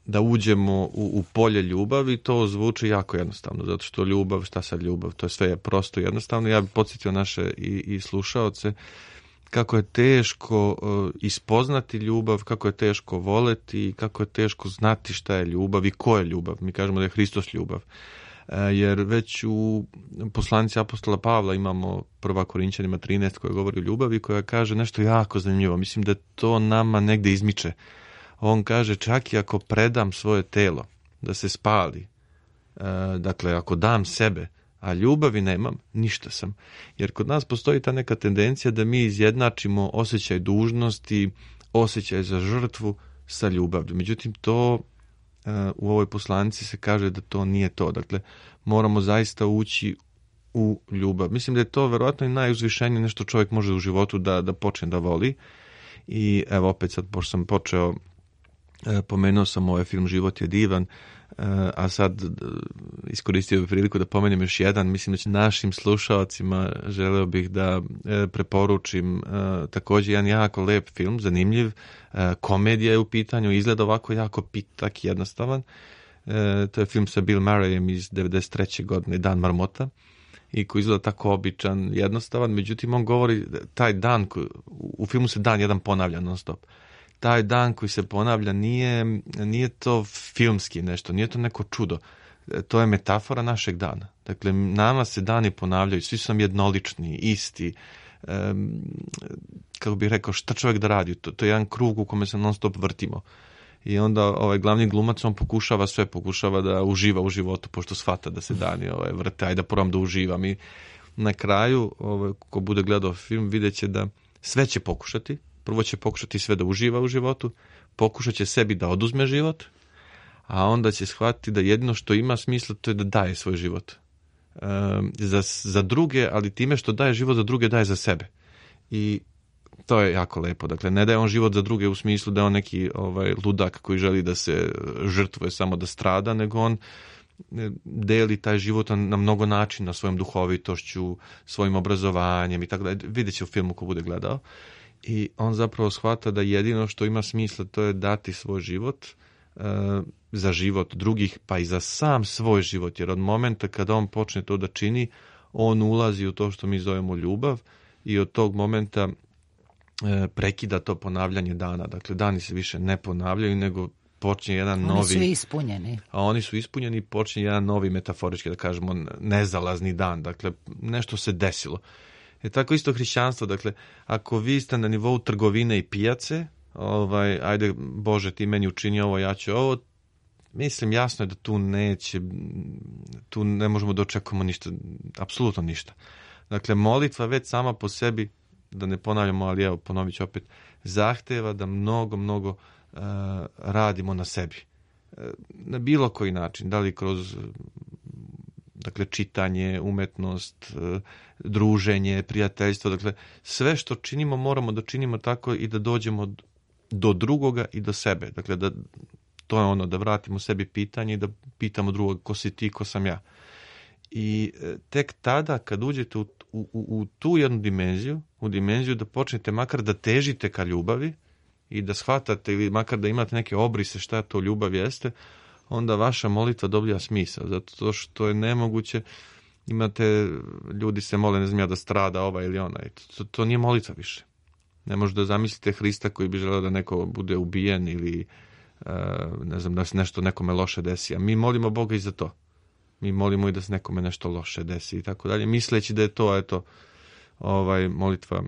da uđemo u, u polje ljubavi, to zvuči jako jednostavno, zato što ljubav, šta sad ljubav, to je sve prosto jednostavno. Ja bih podsjetio naše i, i slušaoce kako je teško uh, ispoznati ljubav, kako je teško voleti, kako je teško znati šta je ljubav i ko je ljubav. Mi kažemo da je Hristos ljubav. Uh, jer već u poslanici apostola Pavla imamo prva Korinćanima trinaest koja govori o ljubavi, koja kaže nešto jako zanimljivo. Mislim da to nama negde izmiče. On kaže, čak i ako predam svoje telo da se spali, uh, dakle ako dam sebe, a ljubavi nemam, ništa sam. Jer kod nas postoji ta neka tendencija da mi izjednačimo osjećaj dužnosti, osjećaj za žrtvu sa ljubavlju. Međutim, to uh, u ovoj poslanici se kaže da to nije to. Dakle, moramo zaista ući u ljubav. Mislim da je to verovatno i najuzvišenije nešto čovjek može u životu da, da počne da voli. I evo opet sad, pošto sam počeo, uh, pomenuo sam ovaj film Život je divan, uh, a sad iskoristio bih priliku da pomenem još jedan. Mislim da će našim slušalcima želeo bih da preporučim također jedan jako lep film, zanimljiv. Komedija je u pitanju, izgleda ovako jako pitak, jednostavan. To je film sa Bill Murrayem iz devedeset treće godine, Dan marmota, i koji izgleda tako običan, jednostavan. Međutim, on govori taj dan, u filmu se dan jedan ponavlja non stop. Taj dan koji se ponavlja nije, nije to filmski nešto, nije to neko čudo. To je metafora našeg dana. Dakle, nama se dani ponavljaju, svi su nam jednolični, isti. Um, kako bih rekao, šta čovjek da radi? To, to je jedan krug u kome se non stop vrtimo. I onda ovaj glavni glumac, on pokušava sve, pokušava da uživa u životu, pošto shvata da se dani ovaj, vrte, aj da probam da uživam. I na kraju, ovaj, ko bude gledao film, vidjet će da sve će pokušati. Prvo će pokušati sve da uživa u životu, pokušat će sebi da oduzme život, a onda će shvatiti da jedino što ima smisla to je da daje svoj život. E, za, za druge, ali time što daje život za druge, daje za sebe. I to je jako lepo. Dakle, ne daje on život za druge u smislu da je on neki ovaj, ludak koji želi da se žrtvuje samo da strada, nego on deli taj život na mnogo načina, svojom duhovitošću, svojim obrazovanjem i tako da. Vidjet će u filmu ko bude gledao. I on zapravo shvata da jedino što ima smisla to je dati svoj život e, za život drugih, pa i za sam svoj život. Jer od momenta kada on počne to da čini, on ulazi u to što mi zovemo ljubav i od tog momenta e, prekida to ponavljanje dana. Dakle, dani se više ne ponavljaju, nego počinje jedan oni novi... Oni su ispunjeni. A oni su ispunjeni i počinje jedan novi, metaforički da kažemo, nezalazni dan. Dakle, nešto se desilo. Je tako isto hrišćanstvo, dakle, ako vi ste na nivou trgovine i pijace, ovaj, ajde, Bože, ti meni učini ovo, ja ću ovo, mislim, jasno je da tu neće, tu ne možemo da očekujemo ništa, apsolutno ništa. Dakle, molitva već sama po sebi, da ne ponavljamo, ali evo, ponovit ću opet, zahteva da mnogo, mnogo uh, radimo na sebi. Uh, na bilo koji način, da li kroz... Dakle, čitanje, umetnost, druženje, prijateljstvo. Dakle, sve što činimo moramo da činimo tako i da dođemo do drugoga i do sebe. Dakle, da, to je ono, da vratimo sebi pitanje i da pitamo drugog ko si ti, ko sam ja. I tek tada, kad uđete u, u, u tu jednu dimenziju, u dimenziju da počnete makar da težite ka ljubavi i da shvatate ili makar da imate neke obrise šta to ljubav jeste, onda vaša molitva dobija smisao, zato što je nemoguće, imate, ljudi se mole, ne znam ja, da strada ova ili ona, to, to nije molitva više. Ne možete da zamislite Hrista koji bi želeo da neko bude ubijen ili ne znam, da se nešto nekome loše desi, a mi molimo Boga i za to. Mi molimo i da se nekome nešto loše desi i tako dalje, misleći da je to, eto, ovaj, molitva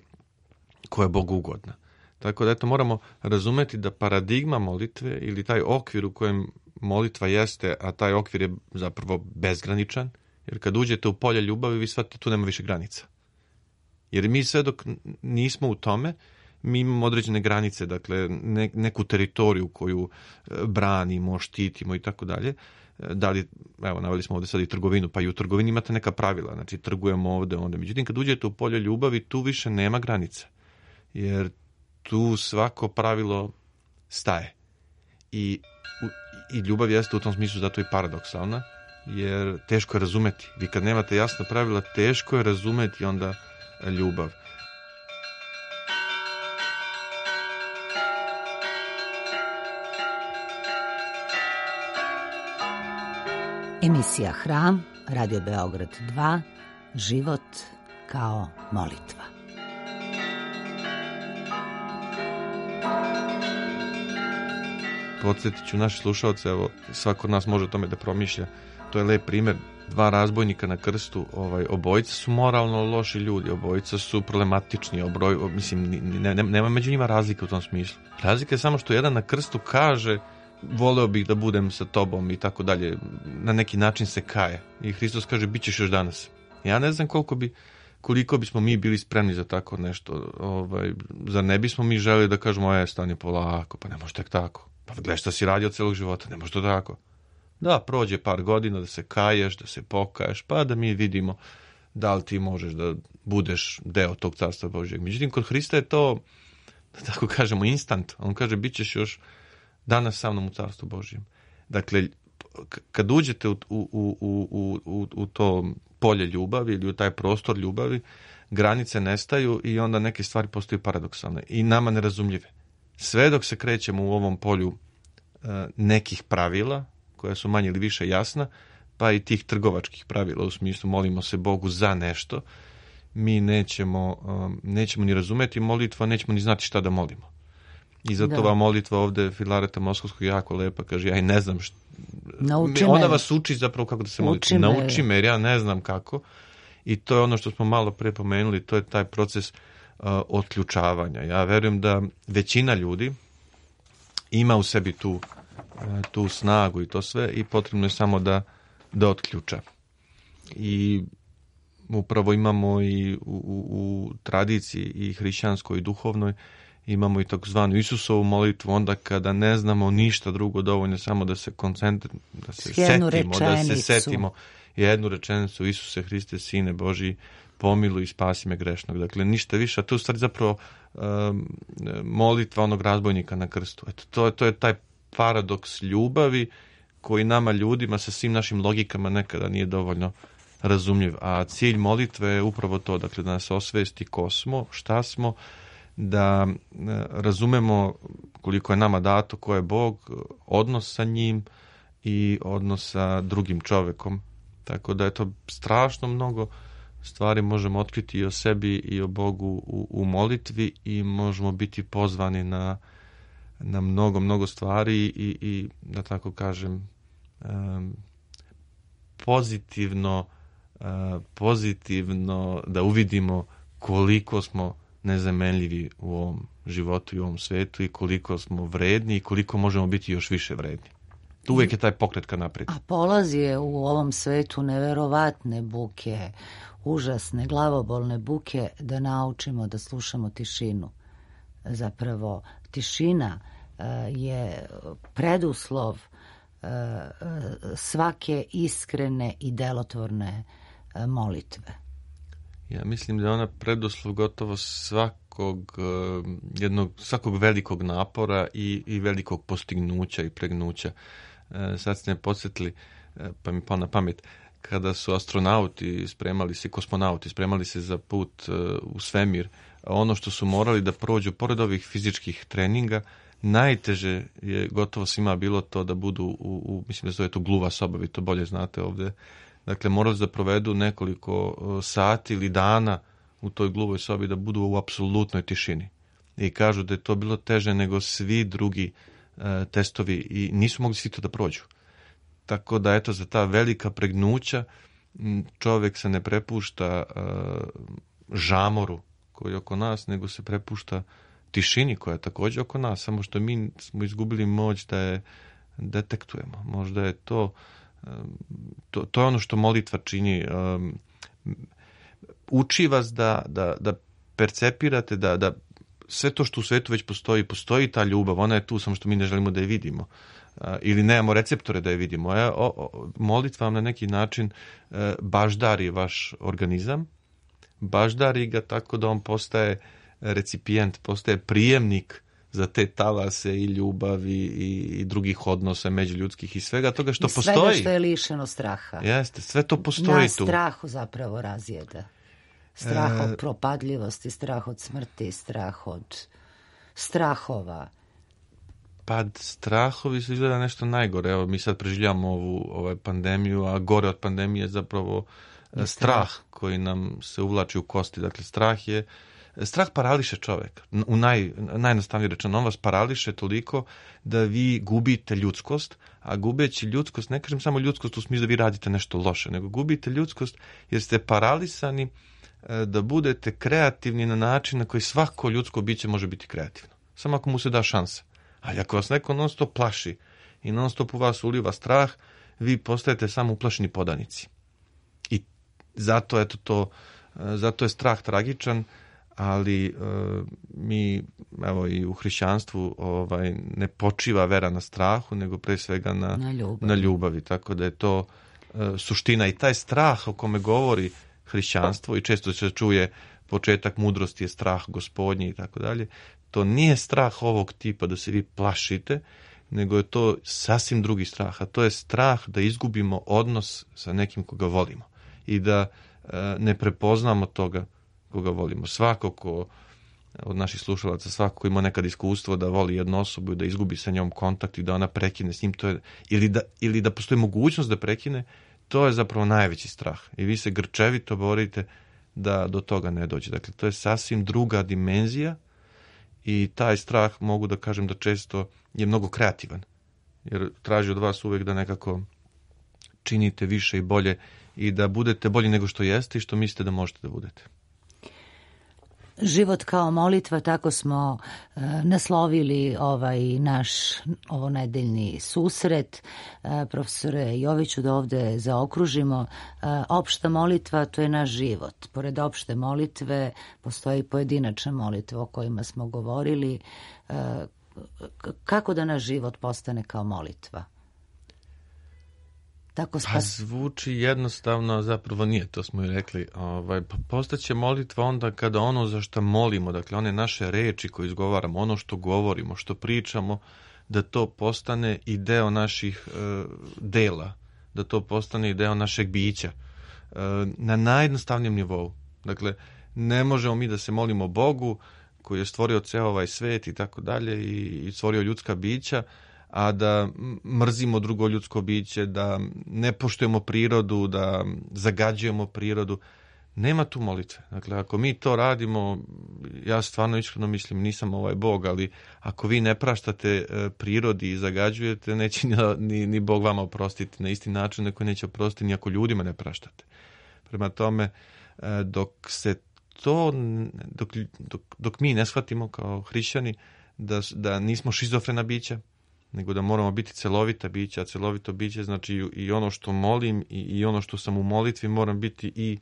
koja je Bogu ugodna. Tako da, eto, moramo razumeti da paradigma molitve ili taj okvir u kojem molitva jeste, a taj okvir je zapravo bezgraničan, jer kad uđete u polje ljubavi, vi shvatite tu nema više granica. Jer mi sve dok nismo u tome, mi imamo određene granice, dakle ne, neku teritoriju koju branimo, štitimo i tako dalje. Da li, evo, naveli smo ovdje sad i trgovinu, pa i u trgovini imate neka pravila, znači trgujemo ovdje, onda. Međutim, kad uđete u polje ljubavi, tu više nema granica, jer tu svako pravilo staje. I, i ljubav jeste u tom smislu zato i paradoksalna, jer teško je razumeti. Vi kad nemate jasna pravila, teško je razumeti onda ljubav. Emisija Hram, Radio Beograd dva, život kao molitva. Podsjetit ću naše slušalce, evo, svako od nas može o tome da promišlja. To je lep primjer. Dva razbojnika na krstu, ovaj, obojica su moralno loši ljudi, obojica su problematični, obroj, mislim, ne, ne, nema među njima razlike u tom smislu. Razlika je samo što jedan na krstu kaže voleo bih da budem sa tobom i tako dalje, na neki način se kaje. I Hristos kaže, bit ćeš još danas. Ja ne znam koliko bi, koliko bismo mi bili spremni za tako nešto. Ovaj, zar ne bismo mi želeli da kažemo, e, stani polako, pa ne može tek tako. Pa gledaj šta si radio celog života, ne može to tako. Da, prođe par godina da se kaješ, da se pokaješ, pa da mi vidimo da li ti možeš da budeš deo tog carstva Božjeg. Međutim, kod Hrista je to, da tako kažemo, instant. On kaže, bit ćeš još danas sa mnom u carstvu Božjem. Dakle, kad uđete u, u, u, u, u, u to polje ljubavi ili u taj prostor ljubavi, granice nestaju i onda neke stvari postaju paradoksalne i nama nerazumljive. Sve dok se krećemo u ovom polju uh, nekih pravila, koja su manje ili više jasna, pa i tih trgovačkih pravila, u smislu molimo se Bogu za nešto, mi nećemo, um, nećemo ni razumeti molitvu, nećemo ni znati šta da molimo. I zato ova molitva ovde Filareta Moskovskog jako lepa, kaže, ja i ne znam šta. Nauči Ona me. vas uči zapravo kako da se molite. Uči me. Nauči me, jer ja ne znam kako. I to je ono što smo malo pre pomenuli, to je taj proces uh, otključavanja. Ja verujem da većina ljudi ima u sebi tu, uh, tu snagu i to sve i potrebno je samo da, da otključa. I upravo imamo i u, u, u tradiciji i hrišćanskoj i duhovnoj imamo i takozvanu Isusovu molitvu, onda kada ne znamo ništa drugo, dovoljno samo da se koncentriramo, da se Jednu setimo, da se rečenicu. setimo jednu rečenicu: Isuse Hriste, Sine Božji, pomiluj i spasi me grešnog. Dakle, ništa više, a to je u stvari zapravo um, molitva onog razbojnika na krstu. Eto, to, to je taj paradoks ljubavi koji nama ljudima sa svim našim logikama nekada nije dovoljno razumljiv. A cilj molitve je upravo to, dakle, da nas osvesti ko smo, šta smo, da razumemo koliko je nama dato, ko je Bog, odnos sa njim i odnos sa drugim čovekom. Tako da je to strašno mnogo stvari možemo otkriti i o sebi i o Bogu u, u molitvi i možemo biti pozvani na, na mnogo, mnogo stvari i, i da tako kažem, um, pozitivno, uh, pozitivno da uvidimo koliko smo nezamenljivi u ovom životu i u ovom svetu i koliko smo vredni i koliko možemo biti još više vredni. Uvijek je taj pokret ka naprijed. A polaz je u ovom svetu neverovatne buke, užasne, glavobolne buke, da naučimo da slušamo tišinu. Zapravo, tišina uh, je preduslov uh, svake iskrene i delotvorne uh, molitve. Ja mislim da je ona preduslov gotovo svakog uh, jednog, svakog velikog napora i, i velikog postignuća i pregnuća. Uh, sad ste me podsjetili, uh, pa mi pa na pamet, kada su astronauti spremali se, kosmonauti spremali se za put uh, u svemir, ono što su morali da prođu, pored ovih fizičkih treninga, najteže je gotovo svima bilo to da budu u, u mislim da zove to gluva soba, vi to bolje znate ovde. Dakle, morali da provedu nekoliko sati ili dana u toj gluvoj sobi, da budu u apsolutnoj tišini. I kažu da je to bilo teže nego svi drugi uh, testovi i nisu mogli svi to da prođu. Tako da, eto, za ta velika pregnuća čovjek se ne prepušta uh, žamoru koji je oko nas, nego se prepušta tišini koja je također oko nas, samo što mi smo izgubili moć da je detektujemo. Možda je to To, to je ono što molitva čini. Um, uči vas da, da, da percepirate, da, da sve to što u svetu već postoji, postoji ta ljubav, ona je tu, samo što mi ne želimo da je vidimo. Uh, ili nemamo receptore da je vidimo. E, o, o, molitva vam na neki način uh, baždari vaš organizam, baždari ga tako da on postaje recipijent, postaje prijemnik za te talase i ljubavi i, i drugih odnosa međuljudskih i svega toga što I svega postoji. Svega što je lišeno straha. Jeste, sve to postoji Nas tu. strahu zapravo razjeda. Strah e... od propadljivosti, strah od smrti, strah od strahova. Pa strahovi su izgleda nešto najgore. Evo, mi sad preživljamo ovu ovaj, pandemiju, a gore od pandemije je zapravo je strah, strah koji nam se uvlači u kosti. Dakle, strah je Strah parališe čoveka. U naj, najjednostavnije rečeno, on vas parališe toliko da vi gubite ljudskost, a gubeći ljudskost, ne kažem samo ljudskost u smislu da vi radite nešto loše, nego gubite ljudskost jer ste paralisani da budete kreativni na način na koji svako ljudsko biće može biti kreativno. Samo ako mu se da šansa. Ali ako vas neko non stop plaši i non stop u vas uliva strah, vi postajete samo uplašeni podanici. I zato, eto to, zato je strah tragičan, ali e, mi, evo, i u hrišćanstvu ovaj, ne počiva vera na strahu, nego pre svega na, na, ljubavi. na ljubavi. Tako da je to e, suština. I taj strah o kome govori hrišćanstvo, i često se čuje početak mudrosti je strah gospodnji i tako dalje, to nije strah ovog tipa da se vi plašite, nego je to sasvim drugi strah, a to je strah da izgubimo odnos sa nekim koga volimo i da e, ne prepoznamo toga koga volimo. Svako ko od naših slušalaca, svako ko ima nekad iskustvo da voli jednu osobu i da izgubi sa njom kontakt i da ona prekine s njim, to je, ili, da, ili da postoji mogućnost da prekine, to je zapravo najveći strah. I vi se grčevito borite da do toga ne dođe. Dakle, to je sasvim druga dimenzija i taj strah, mogu da kažem da često je mnogo kreativan. Jer traži od vas uvek da nekako činite više i bolje i da budete bolji nego što jeste i što mislite da možete da budete. Život kao molitva, tako smo e, naslovili ovaj naš ovonedeljni susret. E, profesore Joviću, da ovde zaokružimo. E, opšta molitva, to je naš život. Pored opšte molitve postoji pojedinačna molitva o kojima smo govorili. E, kako da naš život postane kao molitva? Tako spas... Pa zvuči jednostavno, a zapravo nije, to smo i rekli. Ovaj, postaće molitva onda kada ono za što molimo, dakle one naše reči koje izgovaramo, ono što govorimo, što pričamo, da to postane i deo naših e, dela, da to postane i deo našeg bića. E, na najjednostavnijem nivou. Dakle, ne možemo mi da se molimo Bogu koji je stvorio ceo ovaj svet i tako dalje i stvorio ljudska bića, a da mrzimo drugo ljudsko biće, da ne poštujemo prirodu, da zagađujemo prirodu. Nema tu molitve. Dakle, ako mi to radimo, ja stvarno iskreno mislim, nisam ovaj Bog, ali ako vi ne praštate prirodi i zagađujete, neće ni, ni Bog vama oprostiti na isti način na koji neće oprostiti ni ako ljudima ne praštate. Prema tome, dok se to, dok, dok, dok mi ne shvatimo kao hrišćani da, da nismo šizofrena bića, nego da moramo biti celovita bića, a celovito biće znači i ono što molim i, i ono što sam u molitvi moram biti i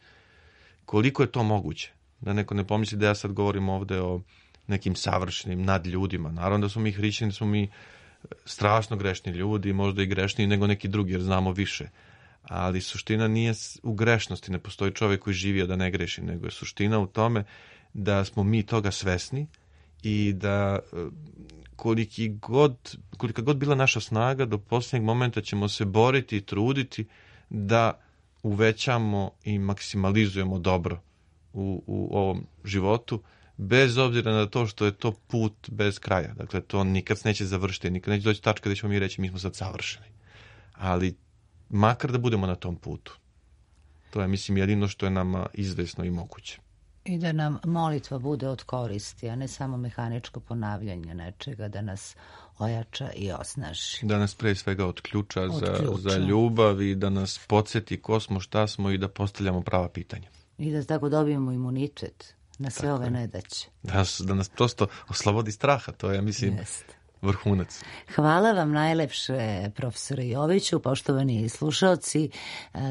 koliko je to moguće. Da neko ne pomisli da ja sad govorim ovde o nekim savršenim nadljudima. Naravno da smo mi hrišćani, smo mi strašno grešni ljudi, možda i grešniji nego neki drugi jer znamo više. Ali suština nije u grešnosti, ne postoji čovjek koji živi a da ne greši, nego je suština u tome da smo mi toga svesni i da koliki god, kolika god bila naša snaga, do posljednjeg momenta ćemo se boriti i truditi da uvećamo i maksimalizujemo dobro u, u ovom životu, bez obzira na to što je to put bez kraja. Dakle, to nikad se neće završiti, nikad neće doći tačka da ćemo mi reći mi smo sad savršeni. Ali makar da budemo na tom putu. To je, mislim, jedino što je nama izvesno i moguće. I da nam molitva bude od koristi, a ne samo mehaničko ponavljanje nečega, da nas ojača i osnaži. Da nas pre svega otključa, za, za ljubav i da nas podsjeti ko smo, šta smo i da postavljamo prava pitanja. I da tako dobijemo imunitet na sve tako ove je. nedaće. Da, da nas prosto oslobodi straha, to je, mislim, Jest. vrhunac. Hvala vam najlepše, profesore Joviću. Poštovani slušaoci,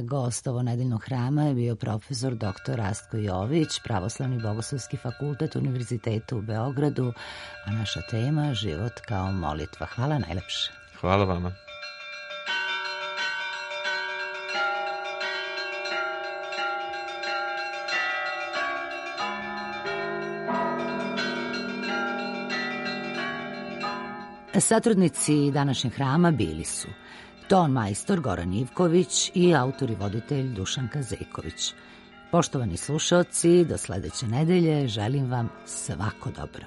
gost ovonedeljnog hrama je bio profesor doktor Rastko Jović, Pravoslavni bogoslovski fakultet Univerziteta u Beogradu, a naša tema život kao molitva. Hvala najlepše. Hvala vama. Satrudnici današnjeg hrama bili su ton majstor Goran Ivković i autor i voditelj Dušanka Zejković. Poštovani slušaoci, do sledeće nedelje želim vam svako dobro.